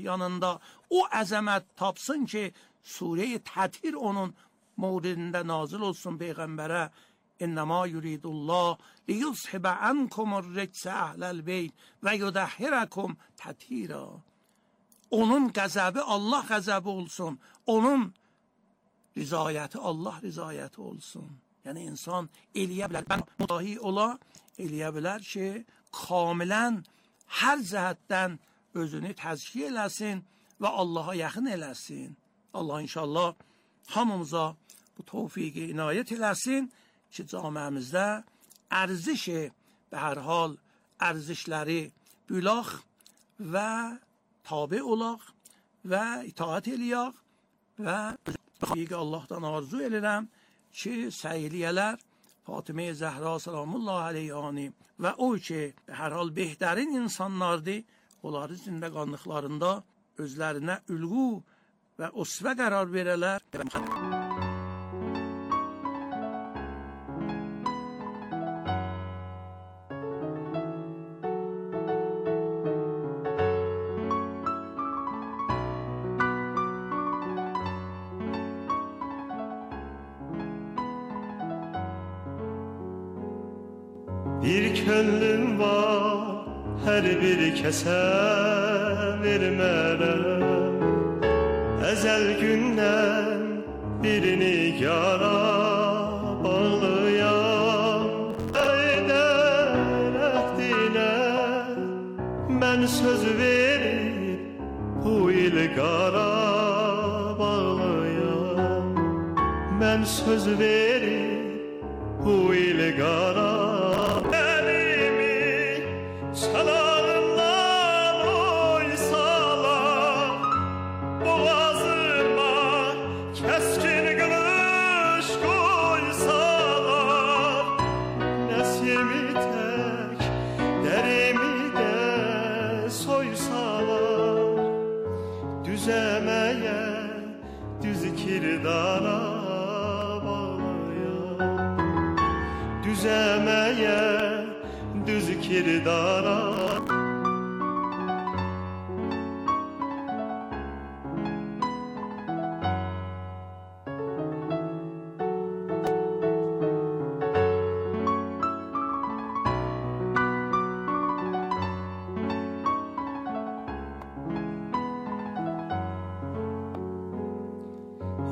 yanında o əzəmət tapsın ki, Sure-i Təthir onun mövridində nazil olsun Peyğəmbərə. İnnəmə yuridullah liyuzhibə ankumur ricsə əhləl beyt və yudəhhirəkum təthira. Onun qəzəbi Allah qəzəbi olsun. Onun rizayəti Allah rizayəti olsun. Yəni insan eləyə bilər, mən müdahi ola, eləyə bilər ki, kamilən hər cəhətdən özünü təzkiyə eləsin və Allaha yaxın eləsin. Allah inşallah hamımıza bu tövfiqi inayət eləsin ki, camiəmizdə ərzişi, به هر حال ارزشləri bülaq və tabi olaq və itaat eləyək və ki, Allahdan arzu edirəm ki, səyliyələr Fatimə Zəhra salamullah aleyhani və o ki, hər hal behtarin insanlardır, onları zindəqanlıqlarında özlərinə ülğu və usvə qərar verələr. Bir könlüm var, hər bir kəsə vermərəm. Əzəl gündən birini yara bağlıyam. Əydən əhdinə mən söz verib bu il qara bağlıyam. Mən söz verib bu il qara kirdara bağlıyam. Düzəməyə düz kirdara.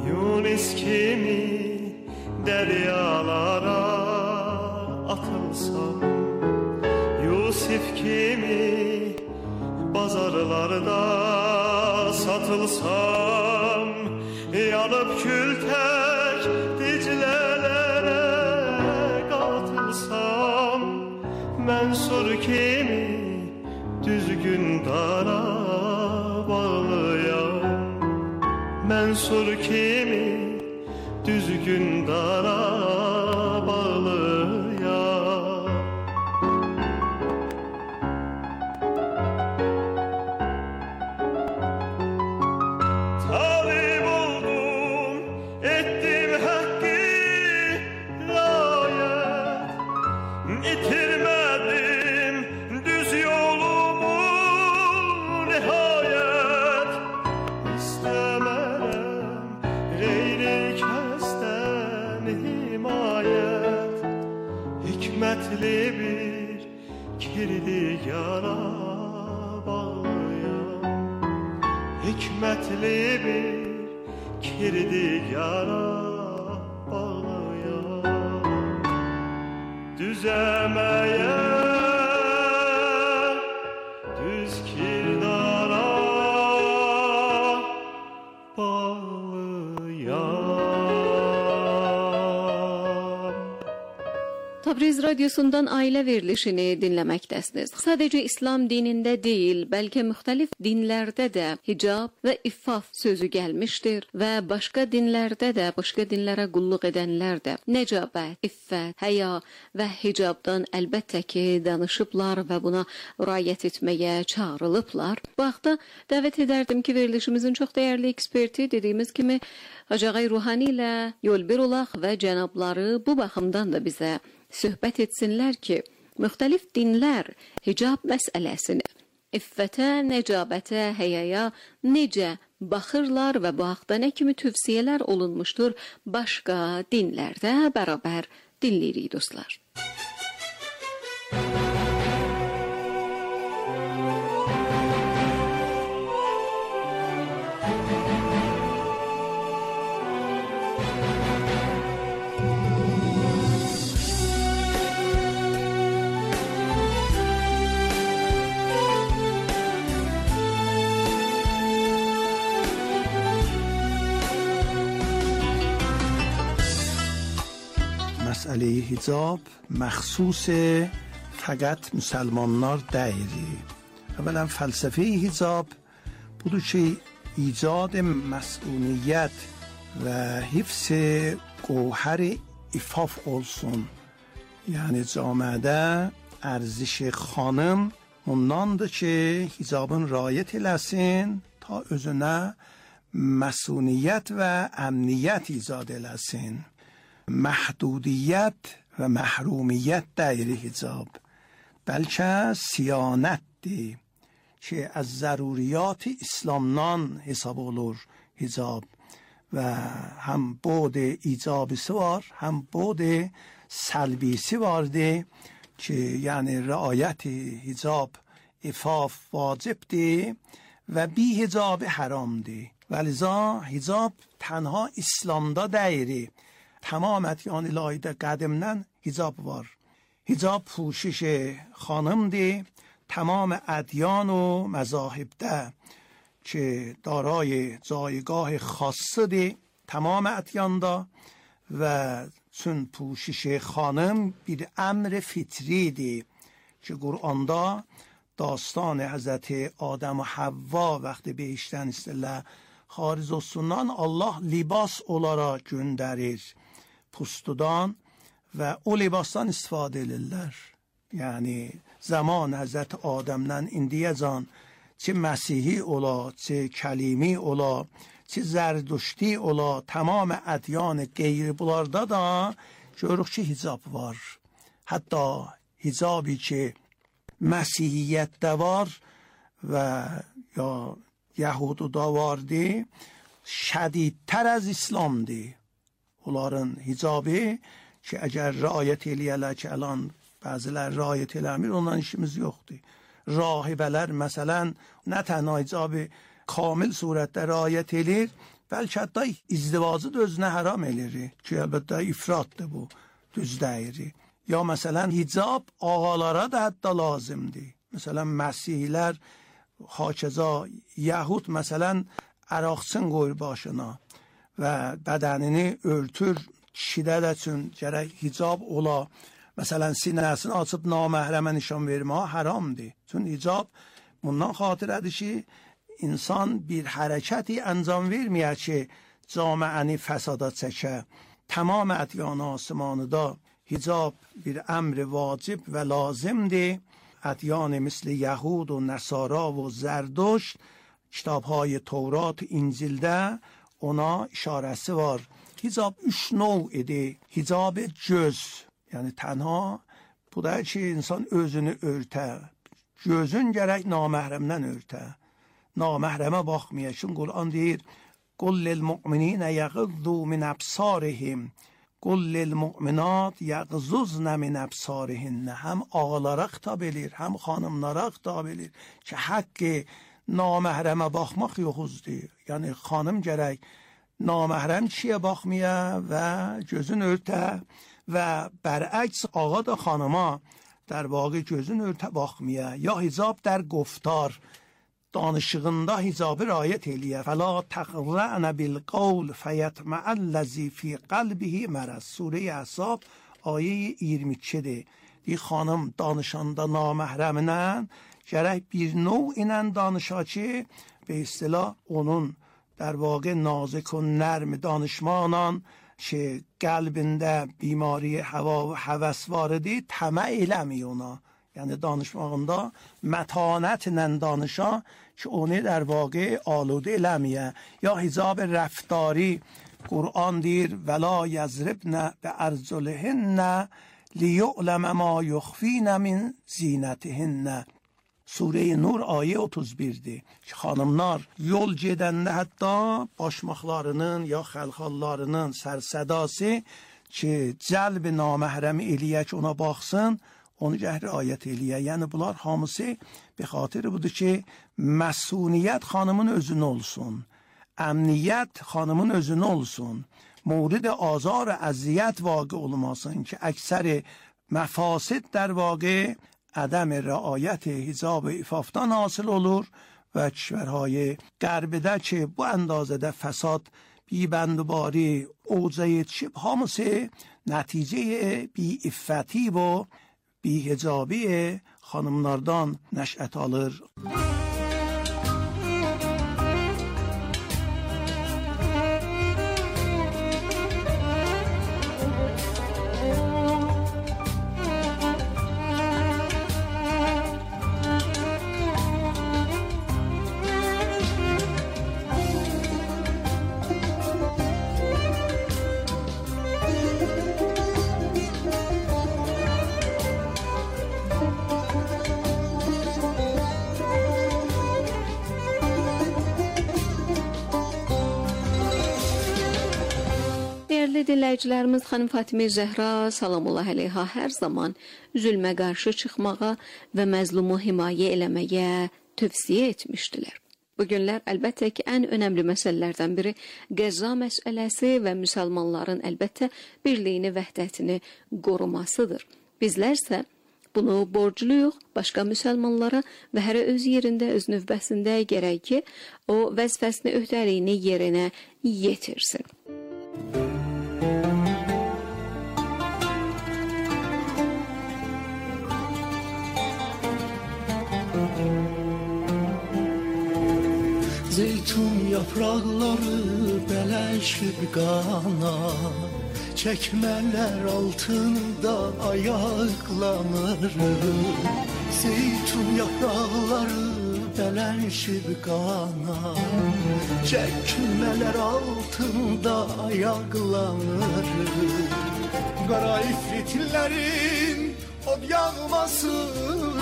Yunus kimi deryalara atılsam, Yusuf kimi bazarlarda satılsam, yanıp kül tek diclelere katılsam, Mənsur kimi düzgün dara bağlıyam. Mənsur kimi düzgün dara bağlıyam. Talib oldum, ettim hakkı layet, itirmedim düz yolumu nihayet. İstemem gayri kəsdən himayət, hikmətli bir kirdiyara bağlıyam. Hikmətli bir kirdiyara bağlıyam. Düzəməyə düz kirdara Tabriz Radyosu'ndan aile verilişini dinləməkdəsiniz. Sadəcə İslam dinində deyil, bəlkə müxtəlif dinlərdə də hicab və iffaf sözü gəlmişdir və başqa dinlərdə də, başqa dinlərə qulluq edənlər də nəcabət, iffət, həya və hicabdan əlbəttə ki, danışıblar və buna riayət etməyə çağrılıblar. Bu haqda dəvət edərdim ki, verilişimizin çox dəyərli eksperti dediyimiz kimi Hacı Ağay Ruhani ilə yol bir olaq və cənabları bu baxımdan da bizə söhbət etsinlər ki, müxtəlif dinlər hicab məsələsini iffətə, nəcabətə, həyaya necə baxırlar və bu haqda nə kimi tövsiyələr olunmuşdur başqa dinlərdə bərabər dinləyirik dostlar. مسئله حجاب مخصوص fəqət müsəlmanlar deyil. Əvvələn fəlsəfe hicab budur ki, icad məsuliyyət və hifz gövhər ifaf olsun. Yəni camiədə ارزش xanım ondandır ki, hicabın rayət eləsin ta özünə məsuliyyət və əmniyyət icad eləsin. محدودیت و محرومیت دایره حجاب بلکه siyanətdir ki, az ضروریات İslamdan hesab olur hicab və həm بود ایجابisi var, həm بود سلبisi vardır ki, yəni رعایت hicab ifaf vacibdir və bی hicab haramdır. ولذا hicab تنها İslamda deyil. تمام ادیان الهی قدمدن حجاب var. حجاب پوشش خانم دی تمام ادیان و مذاهب ده که دارای جایگاه خاصه دی تمام ادیان دا و چون پوشش خانم bir امر فطری دی که قرآن دا داستان حضرت آدم و حوا وقتی بهشتن istəyirlər xaric olsundan Allah libas olaraq göndərir pustudan və o libasdan istifadə edirlər. Yəni zaman Həzrət Adəmdən indiyəcən çi Məsihi ola, çi Kəlimi ola, çi Zərdüşti ola, tamam ədyan qeyri bunlarda da görürük ki, hicab var. Hətta hicabi ki Məsihiyyətdə var və ya Yahududa vardı, şədidtər az İslamdır. Onların hicabı ki, əgər rayət eləyərlər ki, əlan bəzilər rayət eləmir, ondan işimiz yoxdur. Rahibələr məsələn, nə tənha hicabı kamil surətdə rayət elir, bəlkə hətta izdivacı da özünə haram elir ki, əlbəttə ifratdır bu, düz deyir. Ya məsələn, hicab ağalara da hətta lazımdır. Məsələn, məsihlər, hakeza Yahud məsələn, əraqçın qoyur başına və bədənini örtür, kişidə də üçün gərək hicab ola. Məsələn, sinəsini açıb naməhrəmə nişan vermə haramdır. Çünki hicab bundan xatirədir ki, insan bir hərəkəti əncam verməyə ki, camiəni fəsada çəkə. Tamam ədyan asmanıda hicab bir əmr vacib və lazımdır. ادیان مثل یهود و نصارا و زردشت کتاب‌های تورات و انجیلdə ona işarəsi var. Hicab 3 növ idi. Hicab göz, yəni tənha bu da ki, insan özünü örtə. Gözün gərək naməhrəmdən örtə. Naməhrəmə baxmaya. Çünki Quran deyir: "Qul lil mu'minina yaghuddu min absarihim." قل للمؤمنات یغضضن من ابصارهن. هم ağalara xitab edir, هم xanımlara xitab edir ki, haqqı naməhrəmə baxmaq yoxuzdur. Yəni xanım gərək naməhrəm kişiyə baxmaya və gözün örtə və bərəks ağa da xanıma در واقع gözün örtə baxmaya. Ya hicab در گفتار danışığında hicabı rayət eləyə. فَلَا تَخْرَعْنَ بِالْقَوْلِ فَيَطْمَعَ الَّذِي فِي قَلْبِهِ مَرَضٌ. Surə Əhzab ayə 22-dir. Deyir, xanım danışanda naməhrəminə gərək bir növ ilə danışa ki, به اصطلاح onun در واقع nazik و nərm danışmaqla ki, qəlbində بیماری hava və həvəs var idi, təmə eləmi ona. Yəni danışmağında mətanətlə danışa ki, onu در واقع آلوده eləməyə. Ya hicab rəftari Qur'an deyir: وَلَا يَزْرِبْنَ بِأَرْجُلِهِنَّ لِيُعْلَمَ مَا يُخْفِينَ مِنْ زِينَتِهِنَّ. Sure Nur ayə 31-dir. Xanımlar yol gedəndə hətta başmaqlarının ya xəlxallarının sərsədası ki, cəlb naməhrəm eləyə ki, ona baxsın, onu riayət eləyə. Yəni bunlar hamısı به خاطر budur ki, məsuniyyət xanımın özünə olsun. Əmniyyət xanımın özünə olsun. Mورد آزار اذیت واقع olmasın ki, əksəri məfasid در واقع عدم رعایت حجاب عفافdan حاصل olur و کشورهای غربده که bu اندازه فساد بیبندباری اوضاع چیپ hamısı nəticə بی‌عفتی و بی‌حجابی xanımlardan nəşət alır. Dinləyicilərimiz xanım Fatimə Zəhra salamullah əleyha hər zaman zülmə qarşı çıxmağa və məzlumu himayə eləməyə tövsiyə etmişdilər. Bu günlər əlbəttə ki, ən önəmli məsələlərdən biri Qəzza məsələsi və müsəlmanların əlbəttə birliyini, vəhdətini qorumasıdır. Bizlərsə bunu borcluyuq başqa müsəlmanlara və hər öz yerində, öz növbəsində gərək ki, o vəzifəsini, öhdəliyini yerinə yetirsin. Zeytun yapraqları bələşib qana, çəkmələr altında ayaqlanır. Zeytun yapraqları bələşib qana, çəkmələr altında ayaqlanır. Qara ifritlərin od yağmasından,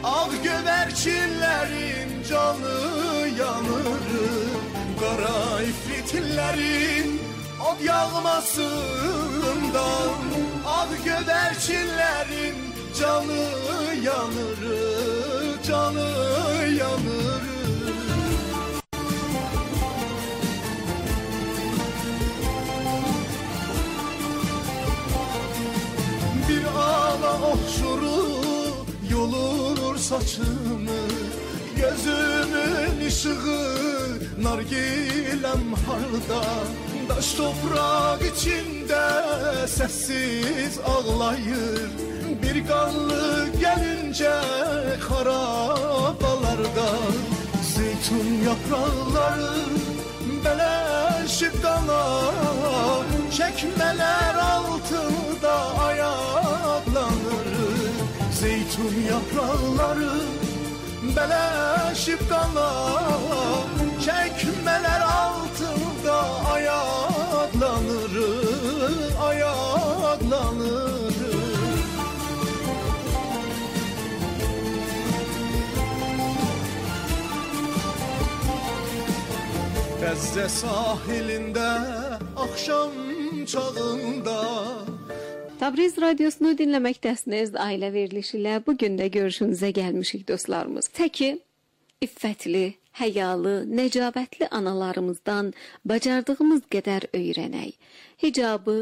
ağ göbərçinlərin canı yanır. Qara ifritlərin od yağmasından, ağ göbərçinlərin canı yanır, canı yanır. Bir ala oxşuru yolur saçımı, gözümün ışığı nargilem harda, daş toprak içinde sessiz ağlayır. Bir qanlı gəlincə xarabalarda, zeytun yapraqları bələşib qana, çəkmələr altında ayaqlanır. Zeytun yapraqları bələşib qana, çəkmələr altında ayaqlanır, ayaqlanır. Qəzzə sahilində axşam çağında. Tabriz Radyosunu dinləməkdəsiniz. Ailə verilişi ilə bugün də görüşünüzə gəlmişik dostlarımız. Təki iffətli, həyalı, nəcabətli analarımızdan bacardığımız qədər öyrənək. Hicabı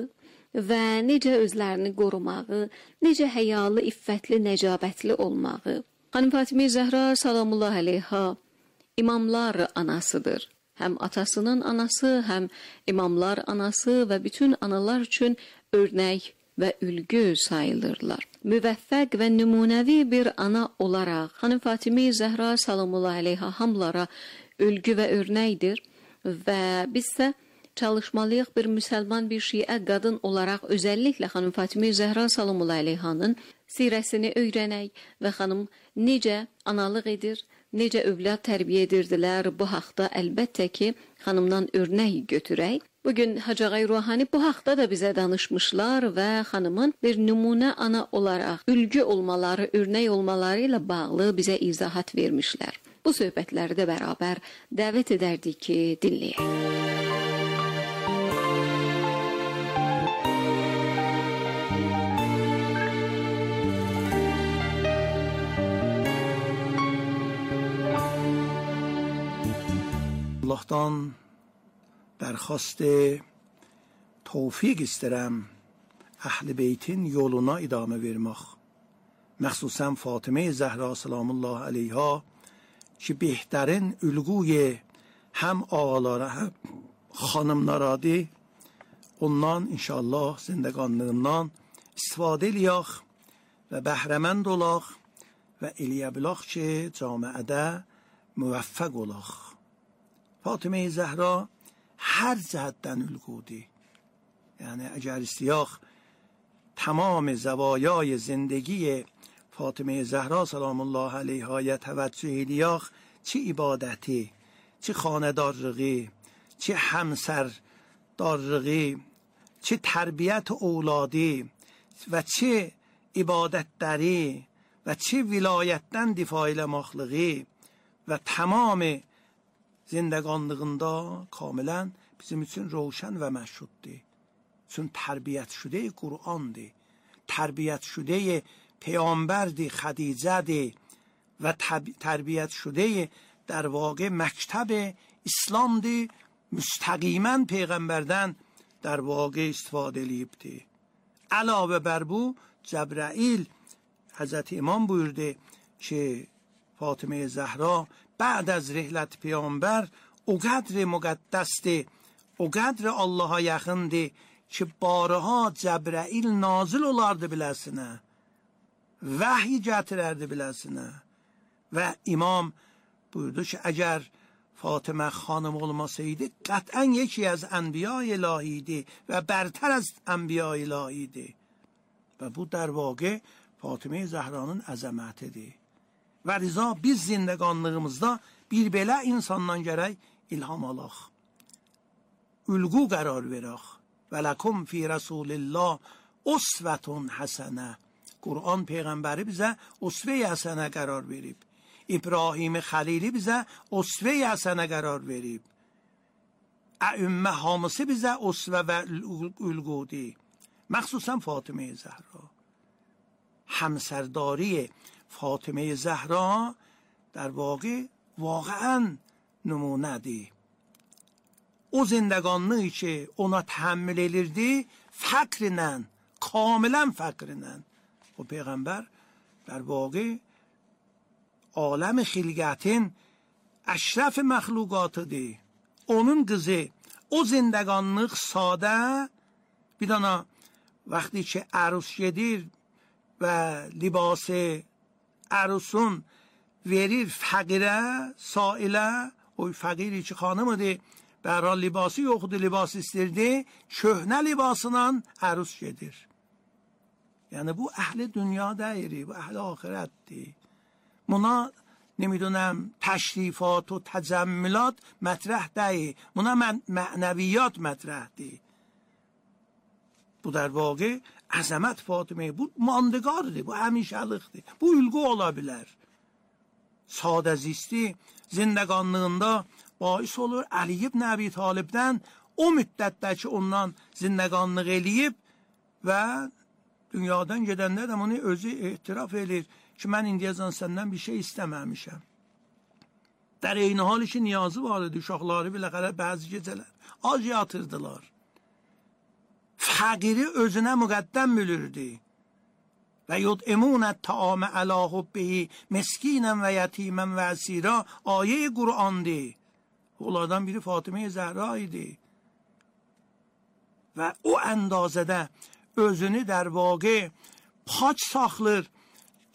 və necə özlərini qorumağı, necə həyalı, iffətli, nəcabətli olmağı. Xanım Fatimə Zəhra salamullah əleyha imamlar anasıdır. Həm atasının anası, həm imamlar anası və bütün analar üçün örnək və ülgü sayılırlar. Müvəffəq və nümunəvi bir ana olaraq xanım Fatimə Zəhra salamullah əleyha hamılara ülgü və örnəkdir və bizsə çalışmalıyıq bir müsəlman, bir şiə qadın olaraq özəlliklə xanım Fatimə Zəhra salamullah əleyhanın sirəsini öyrənək və xanım necə analıq edir, necə övlad tərbiyə edirdilər, bu haqda əlbəttə ki, xanımdan örnək götürək Bugün Hacı Ağay Ruhani bu haqda da bizə danışmışlar və xanımın bir nümunə ana olaraq ülgü olmaları, örnək olmaları ilə bağlı bizə izahat vermişlər. Bu söhbətləri də bərabər dəvət edərdik ki, dinləyək. Allah'tan درخواست توفیق isterim Əhl-i Beytin yoluna idame vermək. Məxsusən Fatıme Zəhra salamullah aleyha ki behterین ülguy hem ağalara hem xanımlaradır. Ondan inşallah zindəqanlığından istifadə eləyək və bəhrəmənd olaq və eləyə bilək ki camiədə müvəffəq olaq. Fatıme Zəhra her cəhətdən ülgudi. Yani اگر istəyək تمام زوایای زندگی فاطمه زهرا سلام الله علیها توجه الیاخ چه عبادتی، چه خاندارگی، چه همسردارگی، چه تربیت اولادی و چه عبادت داری و چه ولایتden دفاع مخلقی و تمام زندگانlığında کاملا bizim için روشن و مشهودی. چون تربیت شده قرآن دی، تربیت شده پیامبر دی، خدیجه دی و تربیت شده در واقع مکتب اسلام دی، مستقیما پیغمبردن در واقع استفاده لیب دی. علاوه بر bu جبرائیل حضرت امام buyurdu که فاطمه زهرا بعد از رحلت پیامبر اقدر مقدس دی، اقدر Allah'a yaxın دی ki barıha Cəbrəil nazil olardı biləsinə, vəhy gətirərdi biləsinə. Və imam buyurdu ki, əgər Fatıma xanım olmasaydı, qətən yeki az ənbiya ilahiydi və bərtər az ənbiya ilahiydi. Və bu در واقع Fatıma Zəhranın əzəmətidir. Və riza biz zindəqanlığımızda bir belə insandan gərək ilham alaq. Ülgü qərar verək. وَلَكُمْ فِي رَسُولِ اللّٰهِ اُسْوَةٌ حَسَنَةٌ. Kur'an peygamberi bize usve-i hasene karar verip, İbrahim Halili bize usve-i hasene karar verip, Ümmə hamısı bize usve ve ülgudi. Məxsusən Fatıme Zəhra. همسرداری فاطمه زهرا در واقع واقعا نمونه دی. O zindəqanlığı ki ona təhəmmül edirdi, fəqrlə, kamilən fəqrlə. O Peyğəmbər در واقع aləm xilqətin əşrəf məxluqatıdır. Onun qızı o zindəqanlıq sadə bir dana vəqti ki ərus gedir və libası ərusun verir fəqirə, sailə, o fəqiri ki xanımıdır, bəhral libası yoxdur, libas istirdi, köhnə libasla ərus gedir. Yani bu اهل dünya deyiri, bu اهل آخرتdir. Buna نمیدونم تشریفات و تجملات مطرح deyir. Buna معنویات مطرح deyir. Bu در واقع عظمت فاطمه bu ماندگارdır, bu həmişəlikdir. Bu ülgü ola bilər. Sadə zisti zindəqanlığında باعث olur Ali ibn Əbi Talibdən o müddətdə ki ondan zindəqanlıq eləyib və dünyadan gedəndə də bunu özü etiraf edir ki mən indiyəcən səndən bir şey istəməmişəm. در eyni hal ki niyazı var idi, uşaqları biləxərə bəzi gecələr ac yatırdılar. Fəqiri özünə müqəddəm bilirdi. Və yud'imûnət təamə ələ hubbihi meskinən və yetimən və əsira ayə-i Qur'andır. Onlardan biri Fatıme Zəhra idi. Və o əndazədə özünü در واقع پاک saxlır.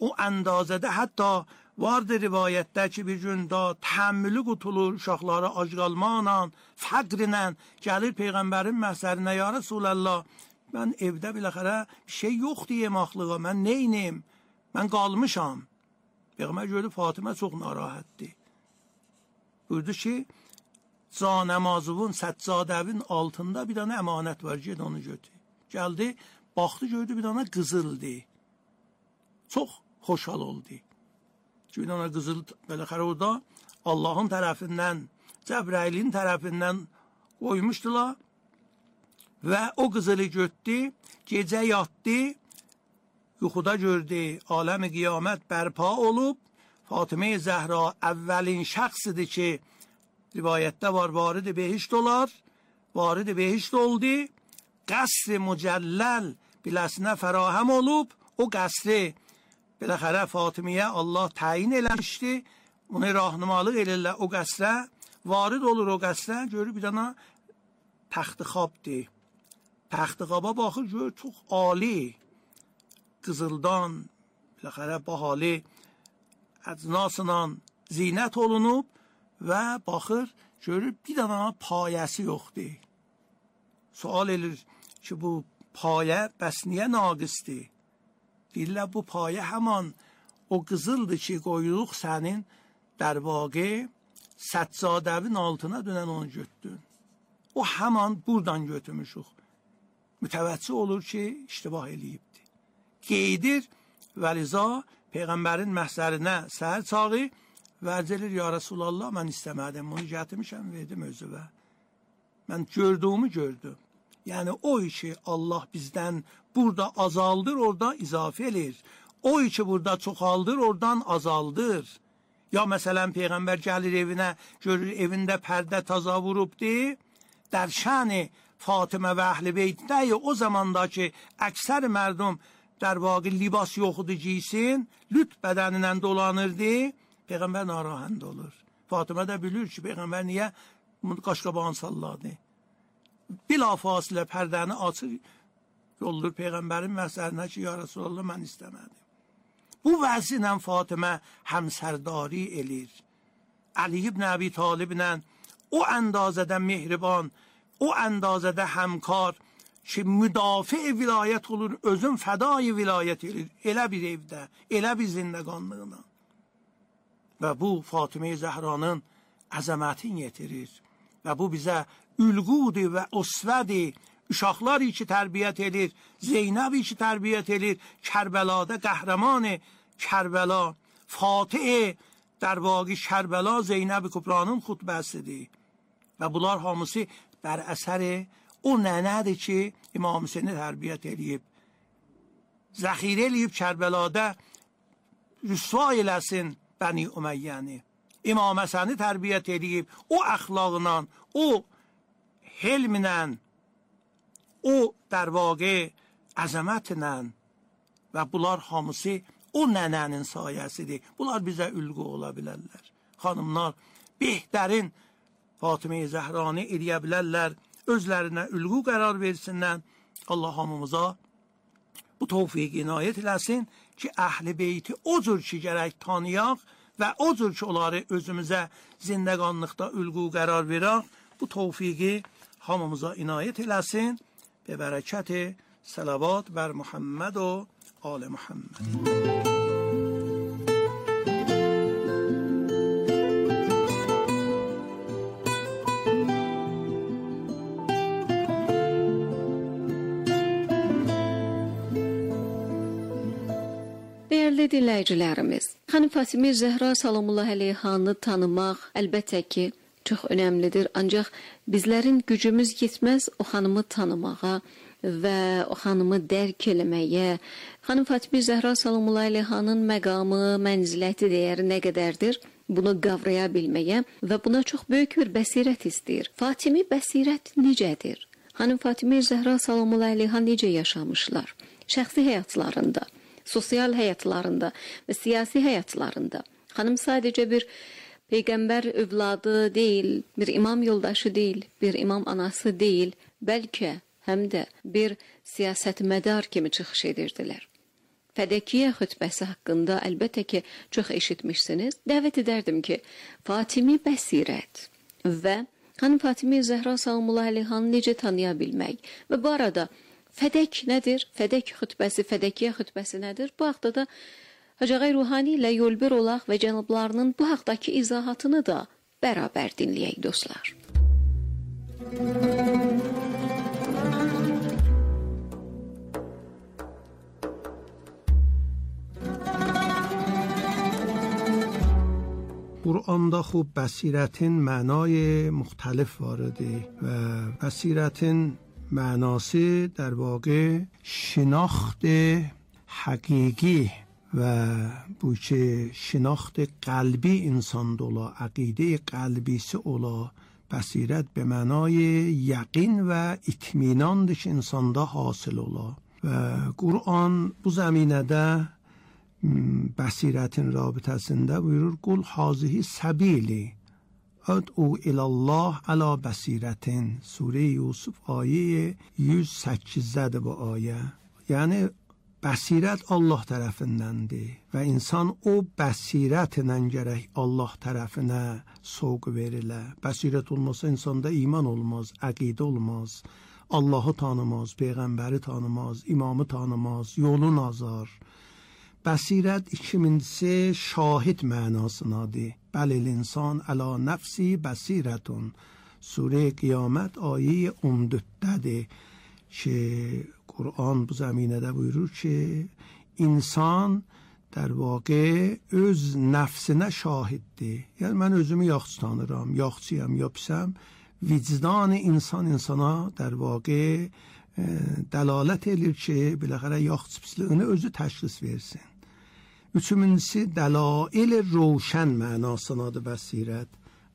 O əndazədə hətta vardır rivayətdə ki bir gün da təhəmmülü qutulur uşaqları ac qalmaqla, fəqrlə gəlir Peyğəmbərin məhzərinə, ya Rasulallah, mən evdə biləxərə bir şey yoxdur yemaqlığa, mən neyniyim, mən qalmışam. Peyğəmbər gördü Fatıma çox narahatdir. Buyurdu ki, Canəmazovun, Səccadəvin altında bir dənə əmanət var, ged onu götür. Gəldi, baxdı, gördü bir dənə qızıldı. Çox xoşhal oldu. Bir dənə qızıl, beləxərə orada Allahın tərəfindən, Cəbrailin tərəfindən qoymuşdular və o qızılı götdü, gecə yatdı, yuxuda gördü, aləmi qiyamət bərpa olub, Fatimə Zəhra əvvəlin şəxsidir ki, rivayətdə var, varid behişt olar, varid behişt oldu, qəsr mücəlləl biləsinə fərahəm olub, o qəsri beləxərə Fatiməyə Allah təyin eləmişdi, onu rahnumalıq elirlər o qəsrə, varid olur o qəsrə, görür bir dana təxtixabdır. Təxtixaba baxır, görür çox ali, qızıldan, beləxərə bahalı, əcnasla zinət olunub və baxır, görür bir dana payəsi yoxdur. Sual edir ki, bu payə bəs niyə naqisdir? Deyirlər, bu payə həman o qızıldır ki, qoyuluq sənin dərbaqı Səccadəvin altına dönən onu götdün. O həman buradan götürmüşük. Mütəvəccih olur ki, iştibah eləyibdir. Qeydir və liza Peyğəmbərin məhzərinə səhər çağı vərc edir, ya Rasulallah, mən istəmədim, bunu gətirmişəm, verdim özüvə. Mən gördüğümü gördüm. Yəni o işi Allah bizdən burada azaldır, orada izafə edir. O işi burada çoxaldır, oradan azaldır. Ya məsələn Peyğəmbər gəlir evinə, görür evində pərdə taza vurubdur, در شأن فاطمه و اهل بیت نه o zamandaki əksər mərdum در واقع libas yoxudu giysin, lüt bədənindən dolanırdı, Peyğəmbər narahat olur. Fatimə də bilir ki, Peyğəmbər niyə qaşqabağını salladı. Bilafasilə pərdəni açır, yoldur Peyğəmbərin məhzərinə ki, ya Rasulallah, mən istəmədim. Bu vəziylə Fatimə həmsərdari elir. Ali ibn Əbi Taliblə o əndazədə mehriban, o əndazədə həmkar ki, müdafiə vilayət olur, özün fədai vilayət edir, elə bir evdə, elə bir zindəqanlığına. Və bu Fatimə Zəhranın əzəmətini yetirir. Və bu bizə ülqudur və usvədir. Uşaqlar ki tərbiyyət edir, Zeynəb ki tərbiyyət edir, Kərbəlada qəhrəmanı Kərbəla, Fatih در واقع کربلا زینب کبرانın xutbəsidir. Və bunlar hamısı bər əsəri o nənədir ki, İmam Hüseyni tərbiyyət edib. Zəxirə eləyib Kərbəlada rüsva eləsin Bəni Üməyyəni. İmam Həsəni tərbiyyət edib, o əxlaqla, o helmlə, o در واقع əzəmətlə və bunlar hamısı o nənənin sayəsidir. Bunlar bizə ülqü ola bilərlər. Xanımlar behtərin Fatimə Zəhranı eləyə bilərlər, özlərinə ülqü qərar versinlər. Allah hamımıza bu tövfiq inayət eləsin ki, əhl-i beyti o cür ki gərək tanıyaq və o cür ki onları özümüzə zindəqanlıqda ülqü qərar verək. Bu tövfiqi hamımıza inayət eləsin. Be bərəkəti salavat bər Muhammed و آل محمد. Dəyərli dinləyicilərimiz, xanım Fatimə Zəhra salamullah əleyhanı tanımaq əlbəttə ki, çox önəmlidir. Ancaq bizlərin gücümüz yetməz o xanımı tanımağa və o xanımı dərk eləməyə. Xanım Fatimə Zəhra salamullah əleyhanın məqamı, mənziləti, dəyəri nə qədərdir? Bunu qavraya bilməyə və buna çox böyük bir bəsirət istəyir. Fatimi bəsirət necədir? Xanım Fatimə Zəhra salamullah əleyha necə yaşamışlar? Şəxsi həyatlarında, sosial həyatlarında və siyasi həyatlarında. Xanım sadəcə bir Peyğəmbər övladı deyil, bir imam yoldaşı deyil, bir imam anası deyil, bəlkə həm də bir siyasətmədar kimi çıxış edirdilər. Fədəkiyyə xütbəsi haqqında əlbəttə ki, çox eşitmişsiniz. Dəvət edərdim ki, Fatimi bəsirət və xanım Fatimə Zəhra salamullah əleyhanı necə tanıya bilmək və bu arada fədək nədir? Fədək xütbəsi, fədəkiyyə xütbəsi nədir? Bu haqda da Hacı Ağay Ruhani ilə yolbir olaq və cənablarının bu haqdakı izahatını da bərabər dinləyək dostlar. قرآن خوب بصیرتین معنای مختلف وارده و بصیرتین معناسی در واقع شناخت حقیقی و بوچه شناخت قلبی انسان دولا عقیده قلبی سه اولا بصیرت به معنای یقین و اطمیناندش انسان دا حاصل اولا و قرآن bu زمینه بصیرتین رابطه سنده بuyurur قل هذه سبیلی ادعو الی الله علی بصیرتین سوره یوسف آیه 108 bu آیه yani bəsirət Allah tərəfindəndir və insan o bəsirətlə gərək Allah tərəfinə soğuk verilə. Bəsirət olmasa insanda iman olmaz, əqidə olmaz, Allahı tanımaz, Peyğəmbəri tanımaz, imamı tanımaz, yolu nazar. Bəsirət ikincisi şahid mənasındadır. Bəlil insan əla nəfsi bəsirətun. Surə Qiyamət ayə 14-dədir ki Kur'an bu zeminede buyurur ki insan در واقع öz nefsine şahiddir. Yani ben özümü yaxşı tanıram, yaxşıyam, ya pisəm. Vicdan insan insana در واقع dəlalət edir ki, biləxərə yaxşı pisliyini özü təşxis versin. Üçüncüsü dəlail روشن mənasındadır bəsirət.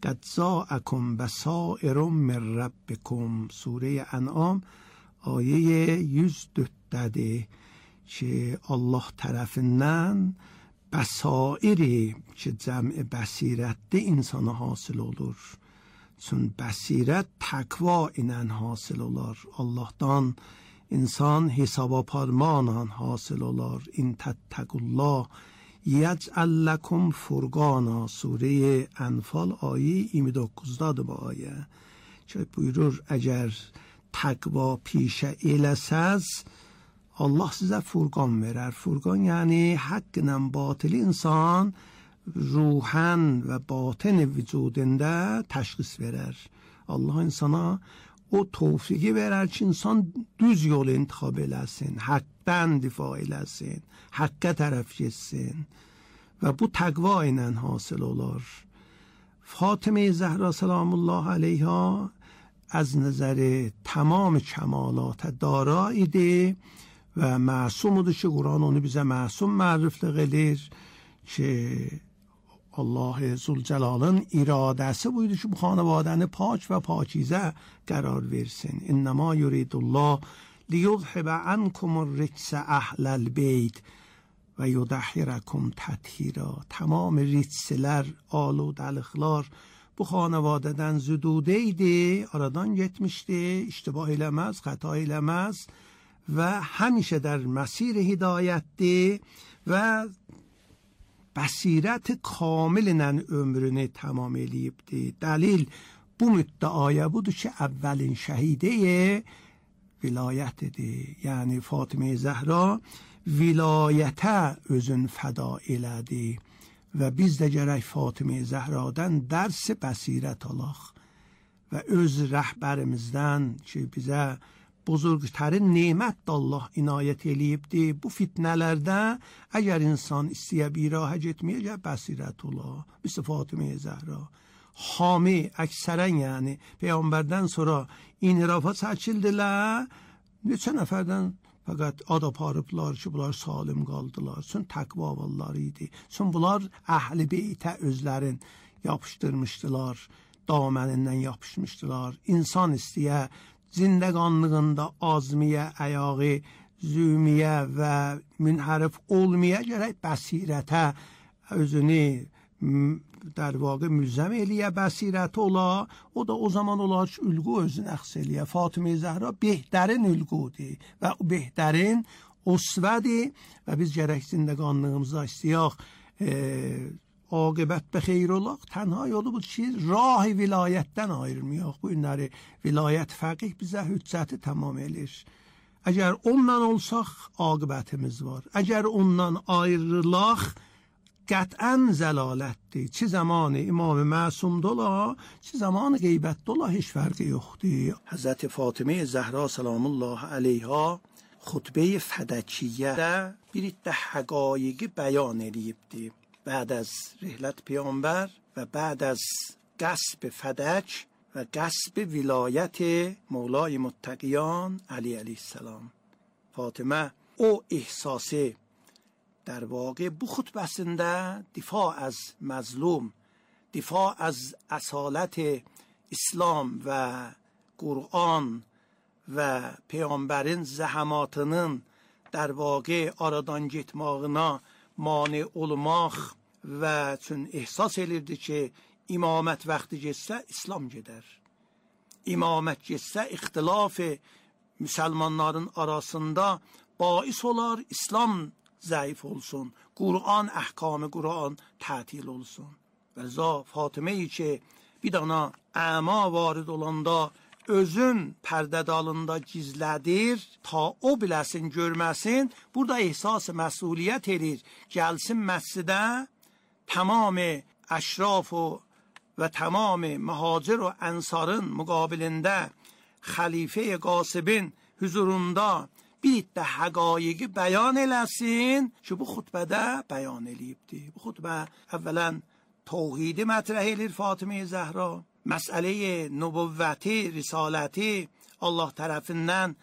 قد جاءكم بصائر من ربكم سوره انعام آیه 104 که الله tərəfindən bəsairi ki cəmi bəsirətdə insana hasıl olur. Çün bəsirət təqva ilə hasıl olar. Allahdan insan hesab aparmaqla hasıl olar. İn təttəqullah yec'al لكم فرقانا سوره انفال آیه 29-dadır bu ayə. Ki buyurur əgər təqva پیشه eləsəz Allah sizə furqan verər. Furqan yəni haqq ilə batil insan ruhan və batin vücudunda təşxis verər. Allah insana o tövfiqi verər ki insan düz yol intikhab eləsin, haqqdan difa eləsin, haqqa tərəf getsin və bu təqva ilə hasil olar. فاطمه زهرا سلام الله علیها از نظر تمام کمالات داراییdir və məsumudur ki Quran onu bizə məsum məriflik edir ki Allah Zülcelal'ın iradəsi buydu ki bu xanavadəni pak və pakizə qərar versin. İnnəma yuridullah liyuzhibə ankumur ricsə əhləl beyt və yudahhirəkum təthira. Tamam ritslər, aludəliklər bu xanavadədən züdudeydi, aradan getmişdi, iştibah eləməz, xəta eləməz və həmişə در مسیر hidayətdir və bəsirət kamillə ömrünü tamam eləyibdir. Dəlil bu müddəaya budur ki əvvəlin şəhidə vilayətidir. Yəni Fatimə Zəhra vilayətə özün fəda elədi və biz də gərək Fatimə Zəhradan dərs bəsirət alaq və öz rəhbərimizdən ki bizə buzurgtərin nemət Allah inayət eləyibdir. Bu fitnələrdə əgər insan istəyə bir rahə getməyə gəl bəsirət ola. Misal Fatimə Zəhra hami əksərən yəni Peyğəmbərdən sonra inhirafa çəkildilər. Neçə nəfərdən fəqət ad aparıblar ki bunlar salim qaldılar. Çün təqva valları idi. Çün bunlar əhl-i beytə özlərin yapışdırmışdılar. Damənindən yapışmışdılar. İnsan istəyə zindəqanlığında azmiyə, əyağı, zümiyə və münhərif olmaya gərək bəsirətə özünü در واقع ملزم eləyə bəsirət ola. O da o zaman olar ki ülqü özünü əxs eləyə. Fatimə Zəhra behtarin ülqüdür və o behtarin usvədir və biz gərək zindəqanlığımızda istəyək aqibət bexeyr olaq. Tənha yolu budur ki rah vilayətdən ayrılmayaq. Bu günləri vilayət fəqih bizə hüccəti tamam elir. Əgər ondan olsaq aqibətimiz var. Əgər ondan ayrılaq قطعا زلالتdir. چه زمان امام معصوم دولا چه زمان غیبت دولا هیچ فرقی yoxdur. حضرت فاطمه زهرا سلام الله علیها خطبه فدکیه bir iddə həqaiqi bəyan edibdi. بعد از رحلت پیامبر و بعد از غصب فدک و غصب ولایت مولای متقیان علی علیه السلام. فاطمه o ehsası در واقع bu xutbəsində difaa az mazlum, difaa az asalət İslam və Qur'an və Peyğəmbərin zəhəmatının در واقع aradan getmağına mane olmaq və üçün ehsas elirdi ki, imamət vaxtı getsə İslam gedər. İmamət getsə ixtilaf müsəlmanların arasında bais olar, İslam zayıf olsun, Kur'an ahkamı Kur'an tətil olsun. Və zə Fatımeyi ki bir dana əma varid olanda özün pərdə dalında gizlədir, ta o biləsin, görməsin. Burada ehsas məsuliyyət edir. Gəlsin məscidə tamam əşraf və tamam mühacir və ənsarın müqabilində xəlifə qasibin huzurunda bir iddə həqaiqi bəyan eləsin ki, bu xutbədə bəyan eləyibdir. Bu xutbə əvvələn توحیدی مطرح eləyir Fatimə Zəhra. Məsələyi nübüvvəti, risaləti Allah tərəfindən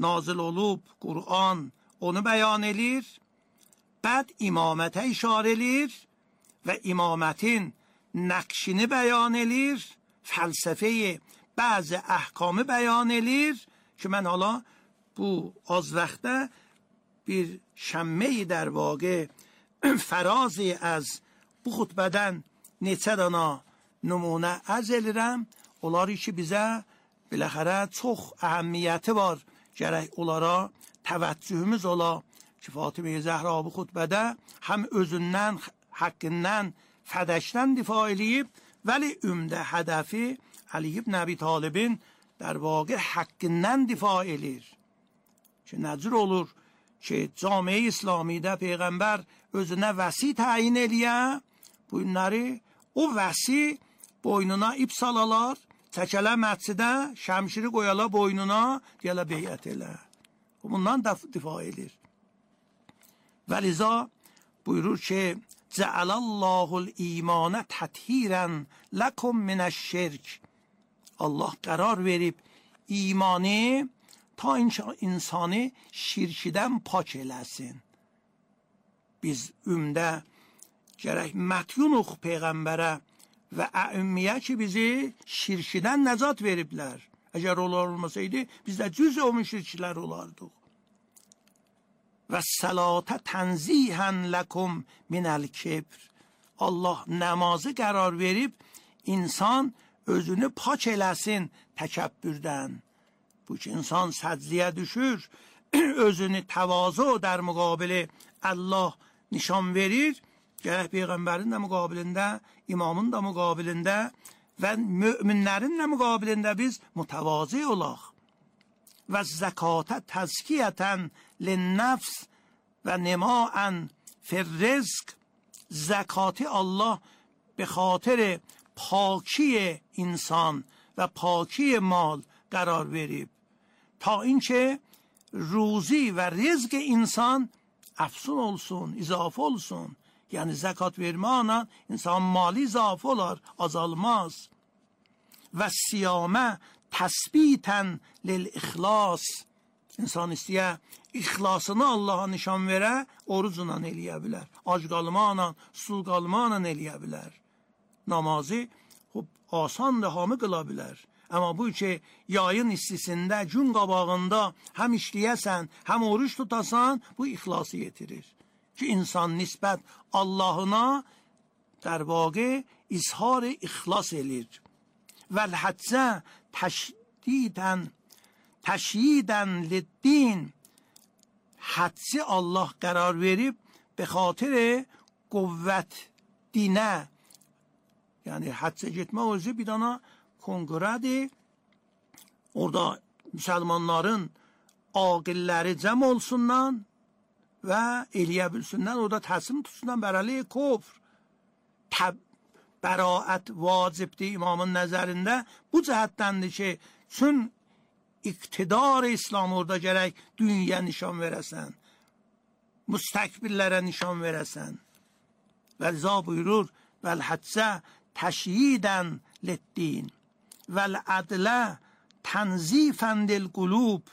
nazil olub, Qur'an onu bəyan eləyir. Bəd imamətə işarə eləyir və imamətin nəqşini bəyan eləyir. Fəlsəfəyi bəzi əhkamı bəyan eləyir ki, mən hala bu az vaxtda bir şəmməyi در واقع فرازی از bu xutbədən neçə dana nümunə ərz edirəm. Onları ki bizə biləxərə çox əhəmmiyyəti var. Gərək onlara təvəccühümüz ola ki, Fatimə Zəhra bu xutbədə həm özündən, haqqından, fədəkdən difa eləyib, vəli ümdə hədəfi Ali ibn Əbi Talibin در واقع haqqından difa elir. Ki nəcür olur ki, camiə İslamidə Peyğəmbər özünə vəsi təyin eləyə, bunları o vəsi boynuna ip salalar, çəkələ məscidə, şəmşiri qoyala boynuna, deyələ beyət elə. Bundan difa edir. Və liza buyurur ki, Cəələllahul imanə təthirən ləkum minəşşirk. Allah qərar verib imanı ta insanı şirkidən pak eləsin. Biz ümdə gərək mətyunuq Peyğəmbərə və əümmiyə ki bizi şirkidən nəcat veriblər. Əgər onlar olmasaydı biz də cüz o müşriklər olardıq. Və sələtə tənzihən ləkum minəl kibr. Allah namazı qərar verib insan özünü pak eləsin təkəbbürdən. Bu ki insan səcdiyə düşür, özünü təvazu در مقابل Allah nişan verir. Gərək Peyğəmbərin də müqabilində, imamın da müqabilində və müminlərin də müqabilində biz mütəvazi olaq. Və zəkatə təzkiyətən linnəfs və nimaən firrizq. Zəkatı Allah به خاطر پاکی انسان و پاکی مال قرار verib. تا اینکه روزی و رزق انسان افزون olsun, izafe olsun. Yani zekat verməklə insan mali izafe olar, azalmaz. Və siyamə təsbitən lil-ixlas. İnsan istəyə ixlasını Allaha nişan verə, orucla eləyə bilər. Ac qalmaqla, susuz qalmaqla eləyə bilər. Namazı asandır, hamı qıla bilər. Amma bu ki, yayın istisində, gün qabağında həm işləyəsən, həm oruç tutasan, bu ixlası yetirir. Ki, insan nisbət Allahına در واقع izhar ixlas elir. Vəl-həccə təşyidən lid-din. Həcci Allah qərar verib, be xatir quvvət dinə. Yəni, həccə getmək özü bir dana konqrədir. Orada müsəlmanların aqilləri cəm olsundan, və eləyə bilsinlər, o da təslim tutsunlar bər əleyh kufr. Bəraət vacibdir imamın nəzərində. Bu cəhətdəndir ki, çün iqtidar İslam orada gərək dünya nişan verəsən, müstəkbirlərə nişan verəsən. Və rıza buyurur, vəl-hədsə təşyidən leddin, vəl-ədlə tənzifən dil-qulub.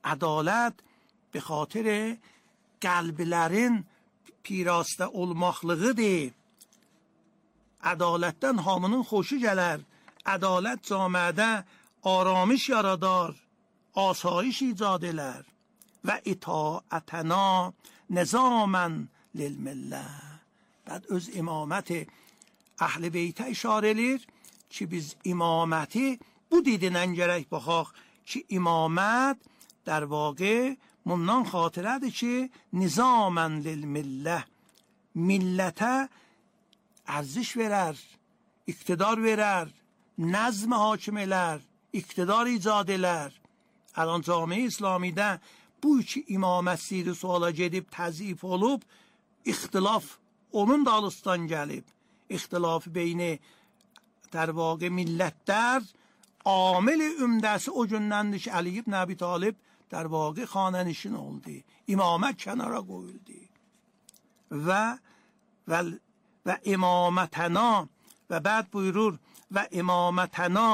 Ədalət به خاطر qəlblərin pirastə olmaqlığıdır. Ədalətdən hamının xoşu gələr. Ədalət camiədə aramış yaradar, asayiş icad elər. Və itaətəna nizamən lilmillə. Bəd öz imaməti əhl-i beytə işarə edir ki, biz imaməti bu didinən gərək baxaq ki, imamət در واقع منdan خاطرədir ki, nizamən lilmillə. Millətə ərziş verər, iqtidar verər, nəzm hakim elər, iqtidar icad elər. الان جامعه İslamidə bu iki imamət siri suala gedib təzif olub, ixtilaf onun da alıstan gəlib. İxtilafı beyni در واقع millətlər amil ümdəsi o gündəndir ki, Əli ibn Əbi Talib در واقع خانه‌نشین oldu. İmamət kənara qoyuldu. Və imamətəna və bəd buyurur və imamətəna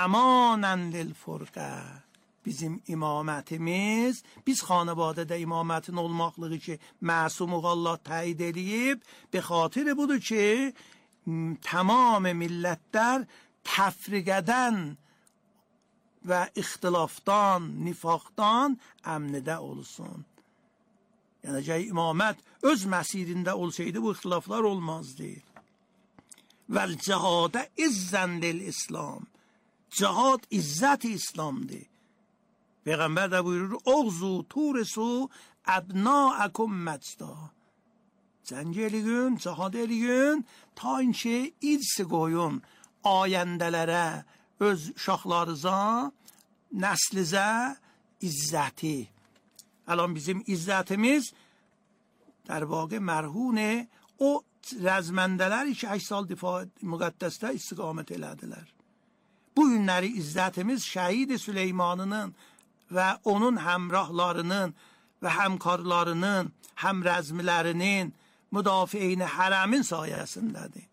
əmanən lilfurqə. Bizim imamətimiz, biz xanəvadədə imamətin olmaqlığı ki, məsumuq Allah təyid edib, به خاطر budur ki, tamam millətlər təfriqədən və ixtilafdan, nifaqdan əmnidə olsun. Yəni, əgər imamət öz məsirində olsaydı, bu ixtilaflar olmazdı. Vəl-cihadə izzən lil-İslam. Cihad izzət-i İslamdır. Peyğəmbər də buyurur, oğzu, turisu, əbnaəkum məcda. Cəng eləyin, cihad eləyin, ta inki irsi qoyun ayəndələrə, öz uşaqlarınıza, nəslizə izzəti. الان bizim izzətimiz در واقع مرهون o rəzməndələri ki, 8 sal difaa müqəddəsdə istiqamət elədilər. Bu günləri izzətimiz şəhid Süleymanının və onun həmrahlarının və həmkarlarının, həmrəzmilərinin, müdafiəyin hərəmin sayəsindədir.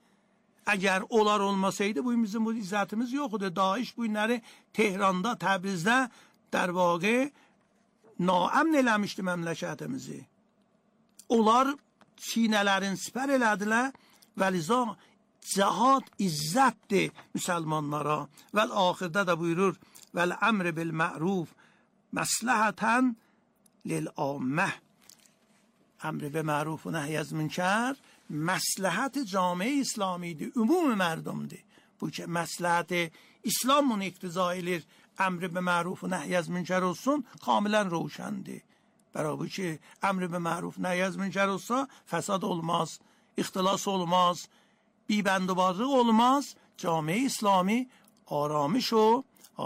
Əgər onlar olmasaydı, bu bizim bu izzətimiz yoxdur. Daesh bu günləri Tehranda, Təbrizdə در واقع naəmn eləmişdi məmləkətimizi. Onlar çiynələrin sipər elədilər və liza cihad izzətdir müsəlmanlara. Və axırda da buyurur vəl əmr bil ma'ruf məsləhətən lil ammə. Əmr bil ma'ruf və nəhy az münkər məsləhət camiə İslamidir, ümumi mərdumdur. Bu ki, məsləhət İslam bunu iqtiza edir, əmr bil ma'ruf və nəhy az münkər olsun, kamilən roşəndir. Bərabər ki, əmr bil ma'ruf nəhy az münkər olsa, fəsad olmaz, ixtilas olmaz, بیبندوبارlıq olmaz, camiə İslami aramış o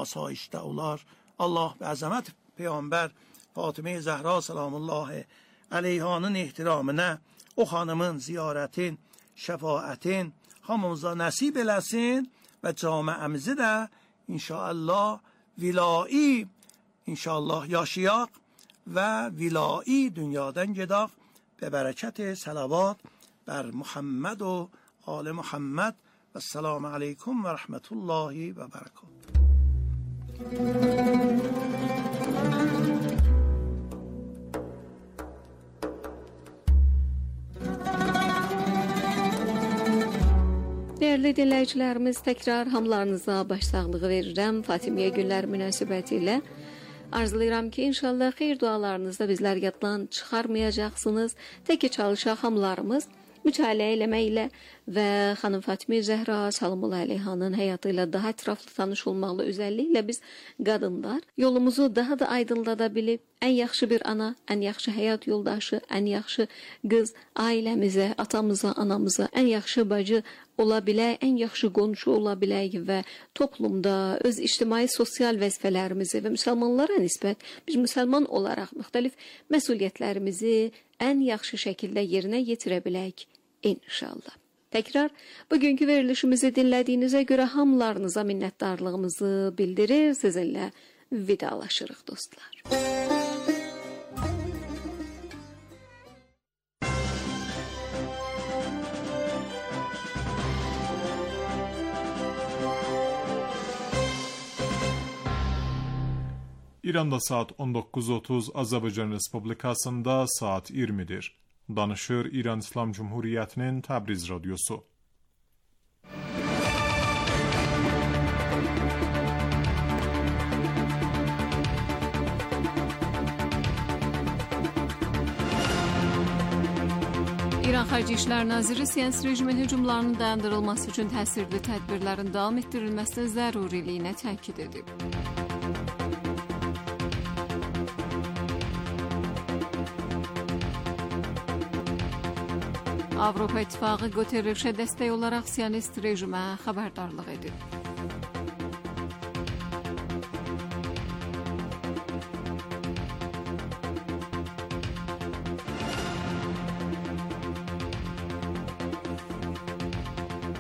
asayişdə olar. Allah və əzəmət Peyğəmbər Fatimə Zəhra salamullahi əleyhanın ehtiramına o xanımın ziyarətin, şəfaətin hamımıza nəsib eləsin və camiəmizi də inşallah vilai inşallah yaşayaq və vilai dünyadan gedaq به برکت صلوات بر محمد و آل محمد و السلام علیکم و رحمت الله و برکاته. Değerli dinləyicilərimiz, təkrar hamılarınıza başsağlığı verirəm. Fatimiyyə günlər münasibəti ilə arzulayıram ki, inşallah xeyir dualarınızda bizlər yaddan çıxarmayacaqsınız. Təki çalışaq hamılarımız mütaliə eləməklə və xanım Fatime Zəhra Salamullah Əleyhanın həyatı ilə daha ətraflı tanış olmaqla özəlliklə biz qadınlar yolumuzu daha da aydınlada bilib, ən yaxşı bir ana, ən yaxşı həyat yoldaşı, ən yaxşı qız ailəmizə, atamıza, anamıza, ən yaxşı bacı ola bilək, ən yaxşı qonşu ola bilək və toplumda öz ictimai sosial vəzifələrimizi və müsəlmanlara nisbət biz müsəlman olaraq müxtəlif məsuliyyətlərimizi ən yaxşı şəkildə yerinə yetirə bilək inşallah. Təkrar bugünkü verilişimizi dinlədiyinizə görə hamılarınıza minnətdarlığımızı bildirir, sizinlə vidalaşırıq dostlar. İranda saat 19:30, Azərbaycan Respublikasında saat 20'dir. Danışır İran İslam Cumhuriyyətinin Təbriz Radyosu. İran Xarici İşlər Naziri siyasi rejimin hücumlarının dayandırılması üçün təsirli tədbirlərin davam etdirilməsinin zəruriliyinə təkid edib. Avropa İttifaqı Guterreşə dəstək olaraq siyonist rejimə xəbərdarlıq edib.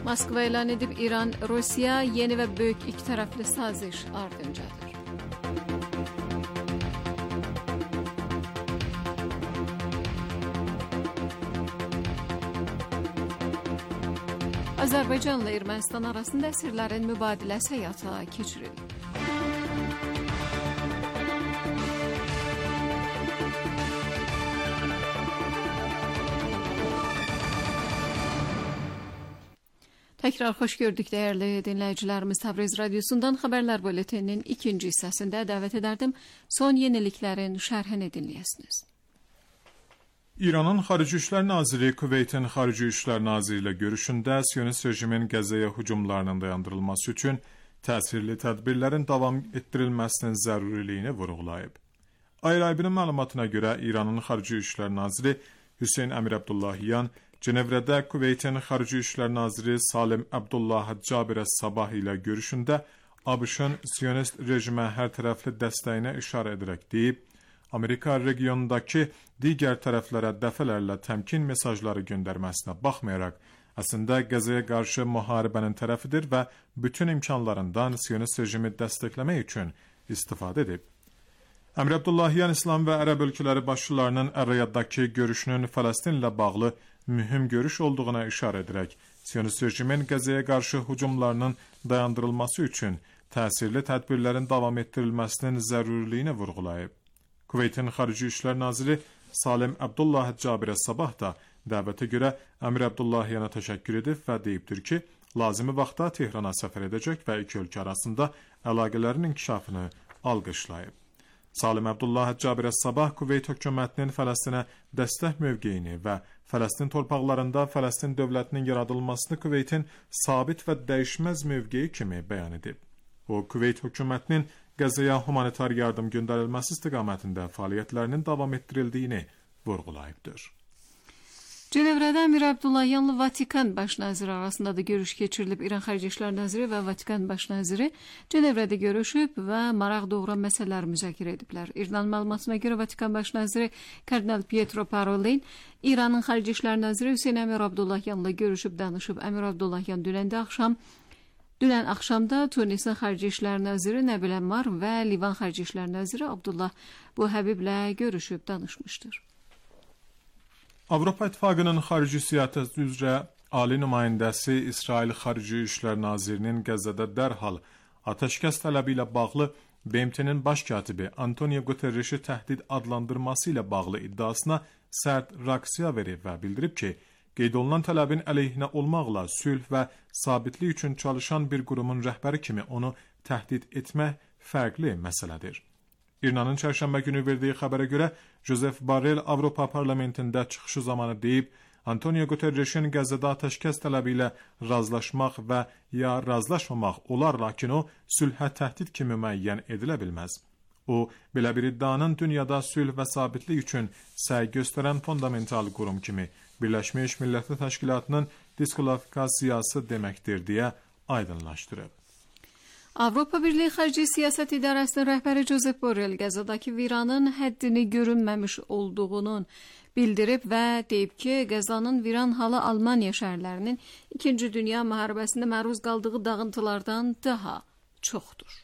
Moskva elan edib İran, Rusiya yeni və böyük iki tərəfli saziş ardıncadır. Azərbaycanla Ermənistan arasında əsirlərin mübadiləsi həyata keçirildi. Təkrar xoş gördük dəyərli dinləyicilərimiz. Təbriz Radyosu'ndan xəbərlər bülteninin ikinci hissəsində dəvət edərdim. Son yeniliklərin şərhini dinləyəsiniz. İranın Xarici İşlər Naziri Kuveytin Xarici İşlər Naziri ilə görüşündə Siyonist rejimin Qəzzəyə hücumlarının dayandırılması üçün təsirli tədbirlərin davam etdirilməsinin zəruriliyini vurğulayıb. Ayrı-ayrı məlumatına görə İranın Xarici İşlər Naziri Hüseyn Əmir Abdullahiyan Cenevrədə Kuveytin Xarici İşlər Naziri Salim Abdullah Cabir Sabah ilə görüşündə ABŞ-ın Siyonist rejimə hər tərəfli dəstəyinə işarə edərək deyib, Amerika regionundakı digər tərəflərə dəfələrlə təmkin mesajları göndərməsinə baxmayaraq, əslində Qəzzəyə qarşı müharibənin tərəfidir və bütün imkanlarından Siyonist rejimi dəstəkləmək üçün istifadə edib. Əmir Abdullahiyan İslam və Ərəb ölkələri başçılarının Əl-Riyaddakı görüşünün Fələstinlə bağlı mühüm görüş olduğuna işarə edərək, Siyonist rejimin Qəzzəyə qarşı hücumlarının dayandırılması üçün təsirli tədbirlərin davam etdirilməsinin zəruriliyini vurğulayıb. Kuveytin Xarici İşlər Naziri Salim Abdullah Cabir Sabah da dəvətə görə Əmir Abdullahiyana təşəkkür edib və deyibdir ki, lazımi vaxtda Tehrana səfər edəcək və iki ölkə arasında əlaqələrin inkişafını alqışlayıb. Salim Abdullah Cabir Sabah Kuveyt hökumətinin Fələstinə dəstək mövqeyini və Fələstin torpaqlarında Fələstin dövlətinin yaradılmasını Kuveytin sabit və dəyişməz mövqeyi kimi bəyan edib. O, Kuveyt hökumətinin Qəzzəyə humanitar yardım göndərilməsi istiqamətində fəaliyyətlərinin davam etdirildiyini vurğulayıbdır. Cenevrədə Əmir Abdullahiyanla Vatikan baş naziri arasında da görüş keçirilib. İran Xarici İşlər Naziri və Vatikan baş naziri Cenevrədə görüşüb və maraq doğuran məsələlər müzakirə ediblər. İran məlumatına görə Vatikan baş naziri Kardinal Pietro Parolin İranın Xarici İşlər Naziri Hüseyn Əmir Abdullahiyanla görüşüb danışıb. Əmir Abdullahiyan dünən axşamda Tunisin Xarici İşlər Naziri Nəbil Əmmar və Livan Xarici İşlər Naziri Abdullah Buhəbiblə görüşüb danışmışdır. Avropa İttifaqının xarici siyasət üzrə ali nümayəndəsi İsrail Xarici İşlər Nazirinin Qəzzədə dərhal atəşkəs tələbi ilə bağlı BMT-nin baş katibi Antonio Guterreşi təhdid adlandırması ilə bağlı iddiasına sərt reaksiya verib və bildirib ki, qeyd olunan tələbin əleyhinə olmaqla sülh və sabitlik üçün çalışan bir qurumun rəhbəri kimi onu təhdid etmək fərqli məsələdir. İranın çərşənbə günü verdiyi xəbərə görə Joseph Borrell Avropa parlamentində çıxışı zamanı deyib, Antonio Guterres'in Qəzzədə atəşkəs tələbi ilə razılaşmaq və ya razılaşmamaq olar, lakin o sülhə təhdid kimi müəyyən edilə bilməz. O, belə bir iddianın dünyada sülh və sabitlik üçün səy göstərən fundamental qurum kimi Birləşmiş Millətlər Təşkilatının diskvalifikasiyası deməkdir deyə aydınlaşdırıb. Avropa Birliyi Xarici Siyasət İdarəsinin rəhbəri Josep Borrell Qəzzadakı viranın həddini görünməmiş olduğunu bildirib və deyib ki, Qəzzanın viran halı Almaniya şəhərlərinin 2-ci Dünya müharibəsində məruz qaldığı dağıntılardan daha çoxdur.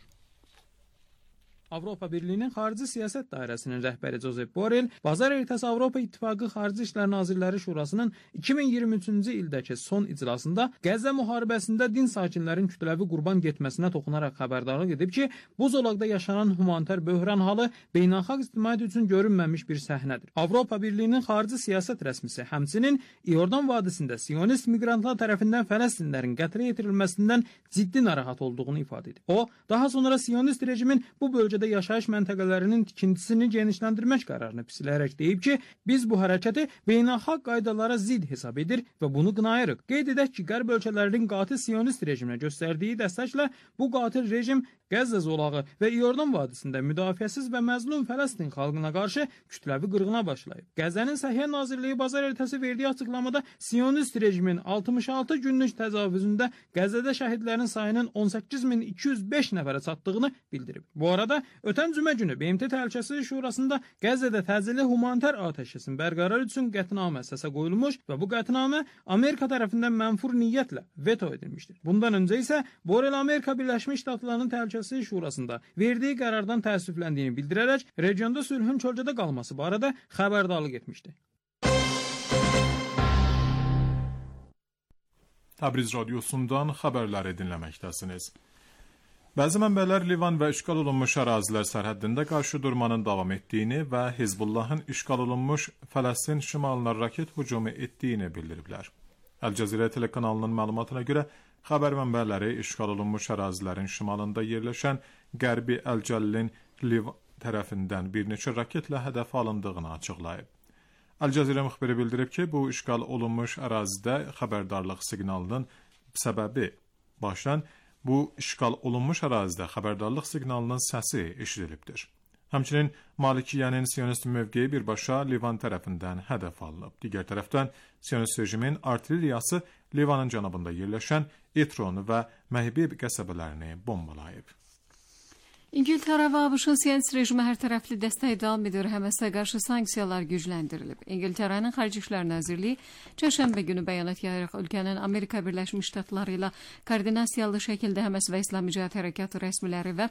Avropa Birliyinin Xarici Siyasət Dairəsinin rəhbəri Josep Borrell bazar ertəsi Avropa İttifaqı Xarici İşlər Nazirləri Şurasının 2023-cü ildəki son iclasında Qəzza müharibəsində din sakinlərin kütləvi qurban getməsinə toxunaraq xəbərdarlıq edib ki, bu zolaqda yaşanan humanitar böhran halı beynəlxalq ictimaiyyət üçün görünməmiş bir səhnədir. Avropa Birliyinin Xarici Siyasət rəsmisi həmçinin İordan vadisində Siyonist miqrantlar tərəfindən Fələstinlərin qətlə yetirilməsindən ciddi narahat olduğunu ifadə edib. O, daha sonra Siyonist rejimin bu bölgədə yaşayış məntəqələrinin tikintisini genişləndirmək qərarını pisləyərək deyib ki, biz bu hərəkəti beynəlxalq qaydalara zidd hesab edir və bunu qınayırıq. Qeyd edək ki, qərb ölkələrinin qatil Siyonist rejiminə göstərdiyi dəstəklə bu qatil rejim Qəzza zolağı və İordan vadisində müdafiəsiz və məzlum Fələstin xalqına qarşı kütləvi qırğına başlayıb. Qəzzənin Səhiyyə Nazirliyi bazar ertəsi verdiyi açıqlamada Siyonist rejimin 66 günlük təcavüzündə Qəzzədə şəhidlərin sayının 18.205 nəfərə çatdığını bildirib. Bu arada ötən cümə günü BMT Təhlükəsizlik Şurasında Qəzzədə təcili humanitar atəşkəsin bərqərar üçün qətnamə səsə qoyulmuş və bu qətnamə Amerika tərəfindən mənfur niyyətlə veto edilmişdir. Bundan öncə isə Borrell Amerika Birləşmiş Ştatlarının Təhlükəsizlik Şurasında verdiyi qərardan təəssüfləndiyini bildirərək regionda sülhün kölgədə qalması barədə xəbərdarlıq etmişdi. Təbriz radiosundan xəbərləri dinləməkdəsiniz. Bəzi mənbələr Livan və işğal olunmuş ərazilər sərhəddində qarşı durmanın davam etdiyini və Hizbullahın işğal olunmuş Fələstin şimalına raket hücumu etdiyini bildiriblər. Əl-Cəzirə telekanalının məlumatına görə xəbər mənbələri işğal olunmuş ərazilərin şimalında yerləşən Qərbi Əl-Cəllin Livan tərəfindən bir neçə raketlə hədəf alındığını açıqlayıb. Əl-Cəzirə müxbiri bildirib ki, bu işğal olunmuş ərazidə xəbərdarlıq siqnalının səbəbi başdan bu işğal olunmuş ərazidə xəbərdarlıq siqnalının səsi eşidilibdir. Həmçinin Malikiyyənin Siyonist mövqeyi birbaşa Livan tərəfindən hədəf alınıb. Digər tərəfdən Siyonist rejimin artilleriyası Livanın cənubunda yerləşən Etron və Məhbib qəsəbələrini bombalayıb. İngiltərə və ABŞ-ın Siyonist rejimə hər tərəfli dəstək davam edir, Həməsə qarşı sanksiyalar gücləndirilib. İngiltərənin Xarici İşlər Nazirliyi çərşənbə günü bəyanat yayaraq ölkənin Amerika Birləşmiş Ştatları ilə koordinasiyalı şəkildə Həməs və İslami Cihad Hərəkatı rəsmiləri və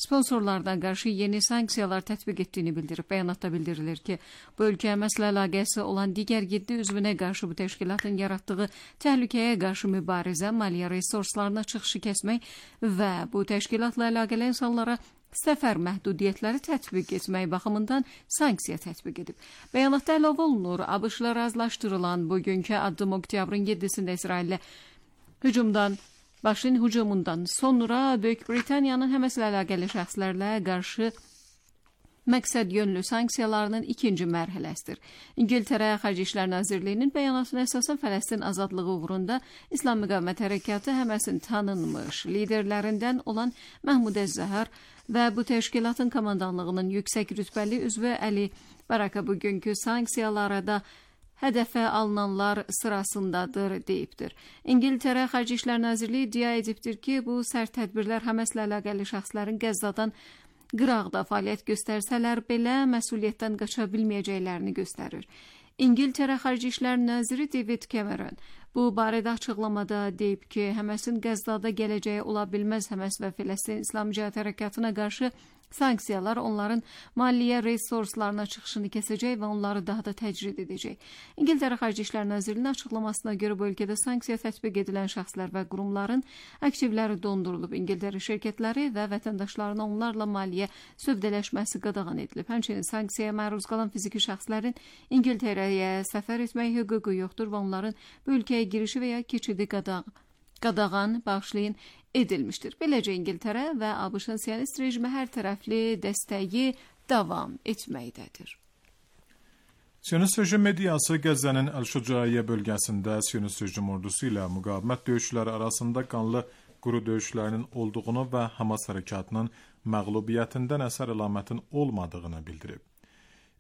sponsorlardan qarşı yeni sanksiyalar tətbiq etdiyini bildirib. Bəyanatda bildirilir ki, bu ölkə Həməslə əlaqəsi olan digər 7 üzvünə qarşı bu təşkilatın yaratdığı təhlükəyə qarşı mübarizə, maliyyə resurslarına çıxışı kəsmək və bu təşkilatla əlaqəli insanlara səfər məhdudiyyətləri tətbiq etmək baxımından sanksiya tətbiq edib. Bəyanatda əlavə olunur, ABŞ-la razılaşdırılan bugünkü addım oktyabrın 7-sində İsrailə hücumundan sonra Böyük Britaniyanın Həməslə əlaqəli şəxslərlə qarşı məqsəd yönlü sanksiyalarının ikinci mərhələsidir. İngiltərə Xarici İşlər Nazirliyinin bəyanatına əsasən Fələstin azadlığı uğrunda İslam Müqavimət Hərəkatı Həməsin tanınmış liderlərindən olan Məhmud Əz-Zəhər və bu təşkilatın komandanlığının yüksək rütbəli üzvü Əli Baraka bugünkü sanksiyalara da hədəfə alınanlar sırasındadır deyibdir. İngiltərə Xarici İşlər Nazirliyi iddia edibdir ki, bu sərt tədbirlər Həməslə əlaqəli şəxslərin Qəzzadan qıraqda fəaliyyət göstərsələr belə məsuliyyətdən qaça bilməyəcəklərini göstərir. İngiltərə Xarici İşlər Naziri David Cameron bu barədə açıqlamada deyib ki, Həməsin Qəzzada gələcəyi ola bilməz. Həməs və Fələstin İslam Cihad Hərəkatına qarşı sanksiyalar onların maliyyə resurslarına çıxışını kəsəcək və onları daha da təcrid edəcək. İngiltərə Xarici İşlər Nazirliyinin açıqlamasına görə bu ölkədə sanksiya tətbiq edilən şəxslər və qurumların aktivləri dondurulub. İngiltərə şirkətləri və vətəndaşlarına onlarla maliyyə sövdələşməsi qadağan edilib. Həmçinin sanksiyaya məruz qalan fiziki şəxslərin İngiltərəyə səfər etmək hüququ yoxdur və onların bu ölkəyə girişi və ya keçidi qadağan bağışlayın edilmişdir. Beləcə İngiltərə və ABŞ-ın Siyonist rejimə hər tərəfli dəstəyi davam etməkdədir. Siyonist rejim mediası Qəzzənin Əl-Şücaiyyə bölgəsində Siyonist rejim ordusu ilə müqavimət döyüşləri arasında qanlı quru döyüşlərinin olduğunu və Hamas hərəkatının məğlubiyyətindən əsər əlamətin olmadığını bildirib.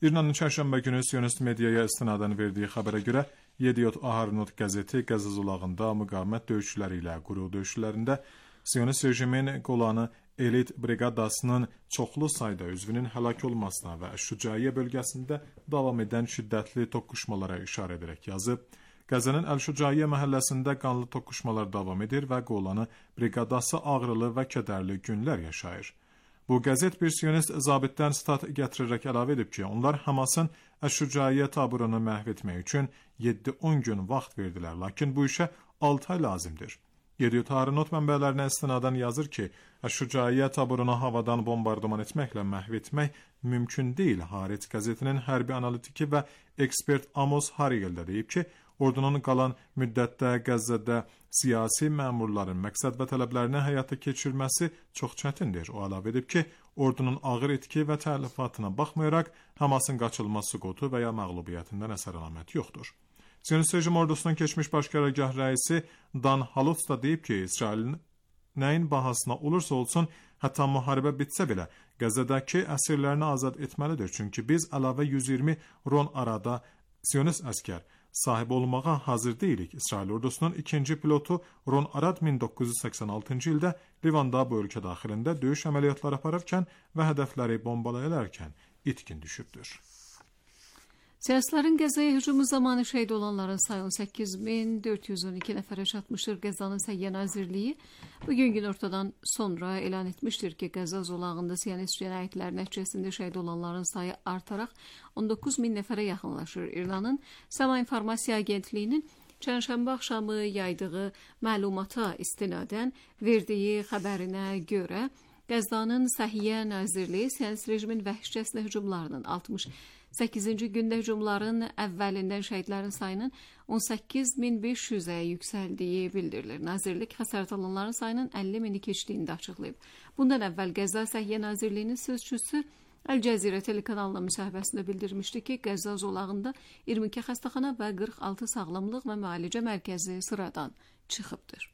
İranın çərşənbə günü Siyonist mediaya istinadən verdiyi xəbərə görə Yediot Aharonot qəzeti Qəzza zolağında müqavimət döyüşləri ilə quru döyüşlərində Siyonist rejimin Qolanı elit briqadasının çoxlu sayda üzvünün həlak olmasına və Əş-Şücaiyyə bölgəsində davam edən şiddətli toqquşmalara işarə edərək yazıb, Qəzzənin Əl-Şücaiyyə məhəlləsində qanlı toqquşmalar davam edir və Qolanı briqadası ağrılı və kədərli günlər yaşayır. Bu qəzet bir siyonist zabitdən stat gətirərək əlavə edib ki, onlar Hamasın Əş-Şücaiyyə taburunu məhv etmək üçün 7-10 gün vaxt verdilər, lakin bu işə 6 ay lazımdır. Yediot Aharonot mənbələrinə istinadən yazır ki, Əş-Şücaiyyə taburunu havadan bombardıman etməklə məhv etmək mümkün deyil. Haaretz qəzetinin hərbi analitiki və ekspert Amos Hariyel də deyib ki, ordunun qalan müddətdə Qəzzədə siyasi məmurların məqsəd və tələblərini həyata keçirməsi çox çətindir. O əlavə edib ki, ordunun ağır etki və tələfatına baxmayaraq Hamasın qaçılmaz süqutu və ya məğlubiyyətindən əsər əlamət yoxdur. Siyonist rejim ordusunun keçmiş baş qərargah rəisi Dan Halutz da deyib ki, İsrailin nəyin bahasına olursa olsun, hətta müharibə bitsə belə, Qəzzədəki əsirlərini azad etməlidir. Çünki biz əlavə 120 Ron Arada Siyonist əskər sahib olmağa hazır deyilik. İsrail ordusunun ikinci pilotu Ron Arad 1986-cı ildə Livanda bu ölkə daxilində döyüş əməliyyatları apararkən və hədəfləri bombalayarkən itkin düşübdür. Siyasilərin Qəzzaya hücumu zamanı şəhid olanların sayı 18.412 nəfərə çatmışdır. Qəzzanın Səhiyyə Nazirliyi bugün günortadan sonra elan etmişdir ki, Qəzza zolağında Siyonist cinayətlər nəticəsində şəhid olanların sayı artaraq 19.000 nəfərə yaxınlaşır. İranın Sama İnformasiya Agentliyinin çərşənbə axşamı yaydığı məlumata istinadən verdiyi xəbərinə görə Qəzzanın Səhiyyə Nazirliyi Siyonist rejimin vəhşicəsinə hücumlarının 68-ci gündə hücumların əvvəlindən şəhidlərin sayının 18.500-ə yüksəldiyi bildirilir. Nazirlik xəsarət alanların sayının 50.000-i keçdiyini də açıqlayıb. Bundan əvvəl Qəzza Səhiyyə Nazirliyinin sözçüsü Əl-Cəzirə telekanalına müsahibəsində bildirmişdi ki, Qəzza zolağında 22 xəstəxana və 46 sağlamlıq və müalicə mərkəzi sıradan çıxıbdır.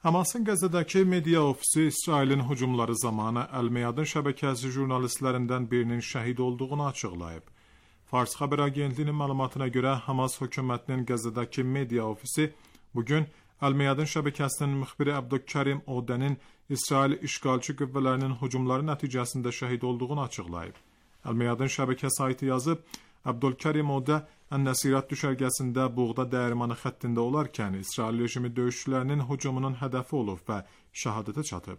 Hamasın Qəzzədəki media ofisi İsrailin hücumları zamanı Əl-Meyadın şəbəkəsi jurnalistlərindən birinin şəhid olduğunu açıqlayıb. Fars xəbər agentliyinin məlumatına görə Hamas hökumətinin Qəzzədəki media ofisi bugün Əl-Meyadın şəbəkəsinin müxbiri Abdülkarim Odənin İsrail işğalçı qüvvələrinin hücumları nəticəsində şəhid olduğunu açıqlayıb. Əl-Meyadın şəbəkə saytı yazıb, Abdülkarim Odə Ən-Nəsirat düşərgəsində buğda dəyirmanı xəttində olarkən İsrail rejimi döyüşçülərinin hücumunun hədəfi olub və şəhadətə çatıb.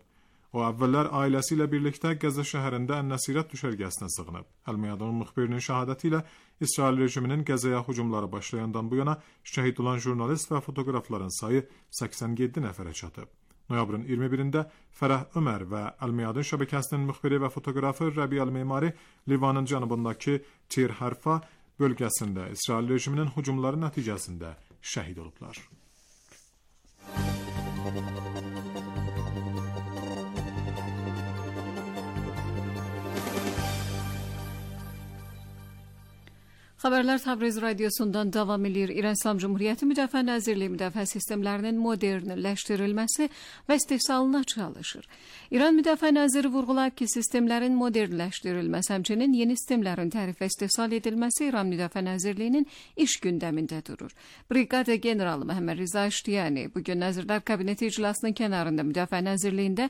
O əvvəllər ailəsi ilə birlikdə Qəzza şəhərində Ən-Nəsirat düşərgəsinə sığınıb. Əl-Meyadın müxbirinin şəhadəti ilə İsrail rejiminin Qəzzaya hücumları başlayandan bu yana şəhid olan jurnalist və fotoqrafların sayı 87 nəfərə çatıb. Noyabrın 21-də Fərəh Ömər və Əl-Meyadın şəbəkəsinin müxbiri və fotoqrafı Rəbi Əl-Memari Livanın cənubundakı Tir Hərfa bölgəsində İsrail rejiminin hücumları nəticəsində şəhid olublar. Xəbərlər Təbriz radiosundan davam edir. İran İslam Cumhuriyyəti Müdafiə Nazirliyi müdafiə sistemlərinin modernləşdirilməsi və istehsalına çalışır. İran Müdafiə Naziri vurğulayıb ki, sistemlərin modernləşdirilməsi, həmçinin yeni sistemlərin tərif və istehsal edilməsi İran Müdafiə Nazirliyinin iş gündəmində durur. Briqada generalı Məhəmməd Riza Əştiyani bugün Nazirlər Kabineti iclasının kənarında Müdafiə Nazirliyində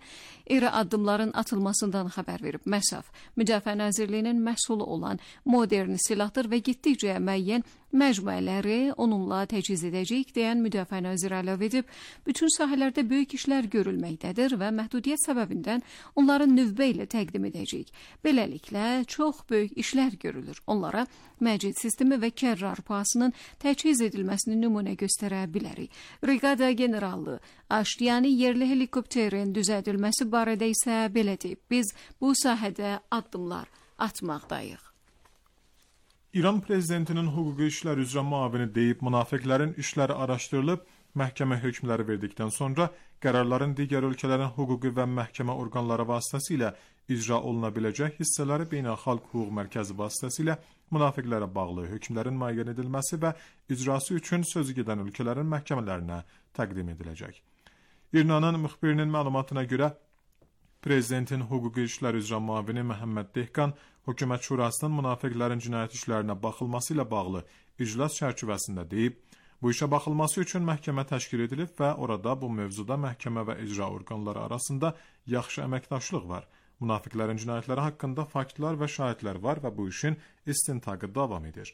iri addımların atılmasından xəbər verib. Məsaf, Müdafiə Nazirliyinin məhsulu olan modern silahdır və getdikcə müəyyən məcmuələri onunla təchiz edəcəyik deyən Müdafiə Naziri əlavə edib, bütün sahələrdə böyük işlər görülməkdədir və məhdudiyyət səbəbindən onları növbə ilə təqdim edəcəyik. Beləliklə, çox böyük işlər görülür. Onlara məcid sistemi və kərrar pahasının təchiz edilməsini nümunə göstərə bilərik. Briqada generalı Əştiyani yerli helikopterin düzədilməsi barədə isə belə deyib, biz bu sahədə addımlar atmaqdayıq. İran prezidentinin hüquqi işlər üzrə müavini deyib, münafiqlərin işləri araşdırılıb, məhkəmə hökmləri verdikdən sonra qərarların digər ölkələrin hüquqi və məhkəmə orqanları vasitəsilə icra oluna biləcək hissələri Beynəlxalq Hüquq Mərkəzi vasitəsilə münafiqlərə bağlı hökmlərin müəyyən edilməsi və icrası üçün sözü gedən ölkələrin məhkəmələrinə təqdim ediləcək. İrnanın müxbirinin məlumatına görə, Prezidentin hüquqi işlər üzrə müavini Məhəmməd Dehqan Hökumət Şurasının münafiqlərin cinayət işlərinə baxılması ilə bağlı iclas çərçivəsində deyib, bu işə baxılması üçün məhkəmə təşkil edilib və orada bu mövzuda məhkəmə və icra orqanları arasında yaxşı əməkdaşlıq var. Münafiqlərin cinayətləri haqqında faktlar və şahidlər var və bu işin istintaqı davam edir.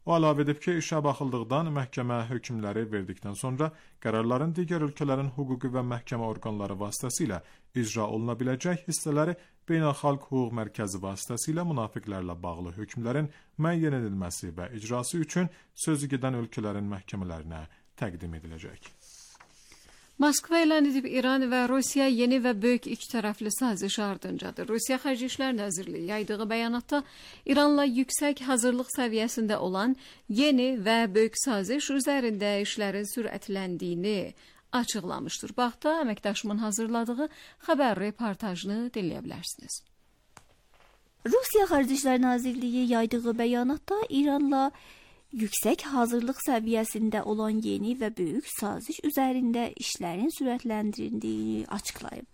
O əlavə edib ki, işə baxıldıqdan məhkəmə hökmləri verdikdən sonra qərarların digər ölkələrin hüquqi və məhkəmə orqanları vasitəsilə icra oluna biləcək hissələri Beynəlxalq Hüquq Mərkəzi vasitəsilə münafiqlərlə bağlı hökmlərin müəyyən edilməsi və icrası üçün sözü gedən ölkələrin məhkəmələrinə təqdim ediləcək. Moskva elan edib İran və Rusiya yeni və böyük ikitərəfli saziş ardıncadır. Rusiya Xarici İşlər Nazirliyi yaydığı bəyanatda İranla yüksək hazırlıq səviyyəsində olan yeni və böyük saziş üzərində işlərin sürətləndiyini açıqlamışdır. Baxda əməkdaşımın hazırladığı xəbər reportajını dinləyə bilərsiniz. Rusiya Xarici İşlər Nazirliyi yaydığı bəyanatda İranla yüksək hazırlıq səviyyəsində olan yeni və böyük saziş üzərində işlərin sürətləndirildiyi açıqlayıb.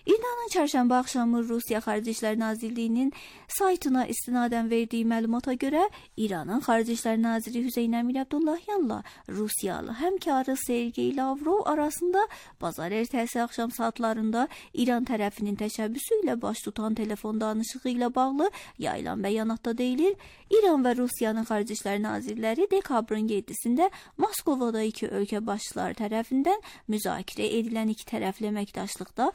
İranın çərşənbə axşamı Rusiya Xarici İşlər Nazirliyinin saytına istinadən verdiyi məlumata görə İranın Xarici İşlər Naziri Hüseyn Əmir Abdullahyanla Rusiyalı həmkarı Sergey Lavrov arasında bazar ertəsi axşam saatlarında İran tərəfinin təşəbbüsü ilə baş tutan telefon danışığı ilə bağlı yayılan bəyanatda deyilir, İran və Rusiyanın Xarici İşlər Nazirləri dekabrın 7-sində Moskovada iki ölkə başçıları tərəfindən müzakirə edilən iki tərəfli əməkdaşlıqda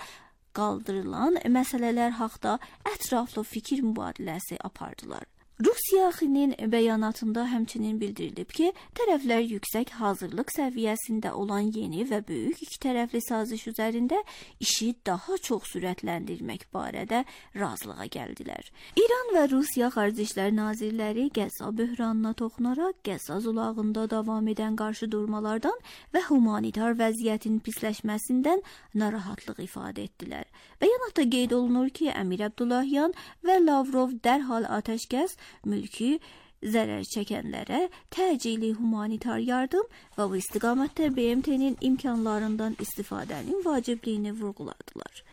qaldırılan məsələlər haqda ətraflı fikir mübadiləsi apardılar. Rusiyanın bəyanatında həmçinin bildirilib ki, tərəflər yüksək hazırlıq səviyyəsində olan yeni və böyük ikitərəfli saziş üzərində işi daha çox sürətləndirmək barədə razılığa gəldilər. İran və Rusiya Xarici İşlər Nazirləri Qəzza böhranına toxunaraq Qəzza zolağında davam edən qarşıdurmalardan və humanitar vəziyyətin pisləşməsindən narahatlıq ifadə etdilər. Bəyanatda qeyd olunur ki, Əmir Abdullahyan və Lavrov dərhal atəşkəs, mülki zərər çəkənlərə təcili humanitar yardım və bu istiqamətdə BMT-nin imkanlarından istifadənin vacibliyini vurğuladılar.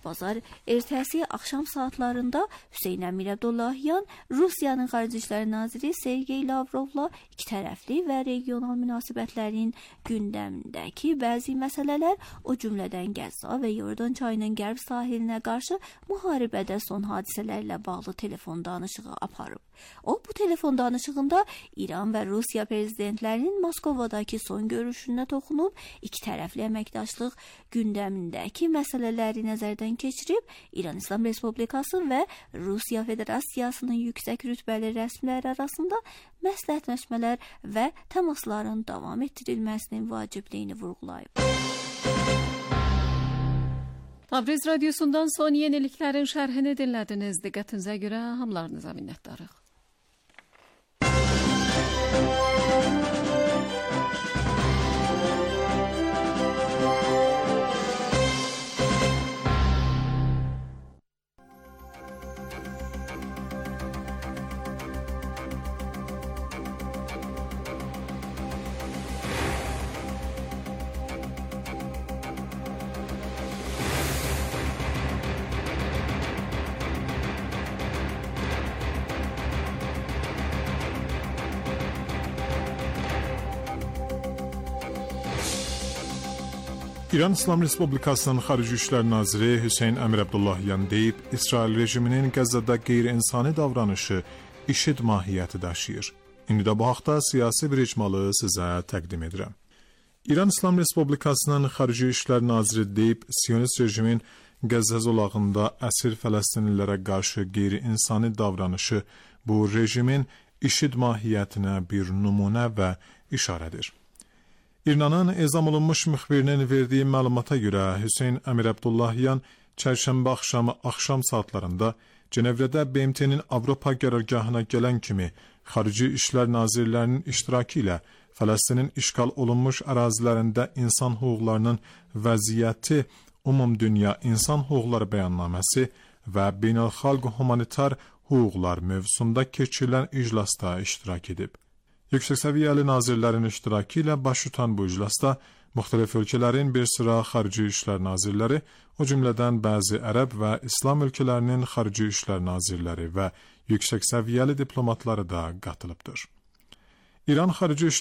Bazar ertəsi axşam saatlarında Hüseyn Əmir Abdullahyan Rusiyanın Xarici İşlər Naziri Sergey Lavrovla ikitərəfli və regional münasibətlərin gündəmindəki bəzi məsələlər, o cümlədən Qəzza və Yordan çayının qərb sahilinə qarşı müharibədə son hadisələrlə bağlı telefon danışığı aparıb. O, bu telefon danışığında İran və Rusiya prezidentlərinin Moskovadakı son görüşünə toxunub, ikitərəfli əməkdaşlıq gündəmindəki məsələləri nəzərdən keçirib, İran İslam Respublikası və Rusiya Federasiyasının yüksək rütbəli rəsmiləri arasında məsləhətləşmələr və təmasların davam etdirilməsinin vacibliyini vurğulayıb. Tabriz Radyosu'ndan son yeniliklərin şərhini dinlədiniz. Diqqətinizə görə hamılarınıza minnətdarıq. İran İslam Respublikasının Xarici İşlər Naziri Hüseyn Əmir Abdullahyan deyib, İsrail rejiminin Qəzzada qeyri-insani davranışı IŞİD mahiyyəti daşıyır. İndi də bu haqda siyasi bir icmalı sizə təqdim edirəm. İran İslam Respublikasının Xarici İşlər Naziri deyib, Siyonist rejimin Qəzza zolağında əsir Fələstinlilərə qarşı qeyri-insani davranışı bu rejimin IŞİD mahiyyətinə bir nümunə və işarədir. İranın ezam olunmuş müxbirinin verdiyi məlumata görə Hüseyn Əmir Abdullahyan çərşənbə axşamı axşam saatlarında Cenevrədə BMT-nin Avropa qərargahına gələn kimi Xarici İşlər Nazirlərinin iştirakı ilə Fələstinin işğal olunmuş ərazilərində insan hüquqlarının vəziyyəti Ümumdünya İnsan Hüquqları Bəyannaməsi və beynəlxalq humanitar hüquqlar mövzusunda keçirilən iclasda iştirak edib. Yüksək səviyyəli nazirlərin iştirakı ilə baş tutan bu iclasda müxtəlif ölkələrin bir sıra xarici işlər nazirləri, o cümlədən bəzi ərəb və İslam ölkələrinin xarici işlər nazirləri və yüksək səviyyəli diplomatları da qatılıbdır. İran Xarici İşlər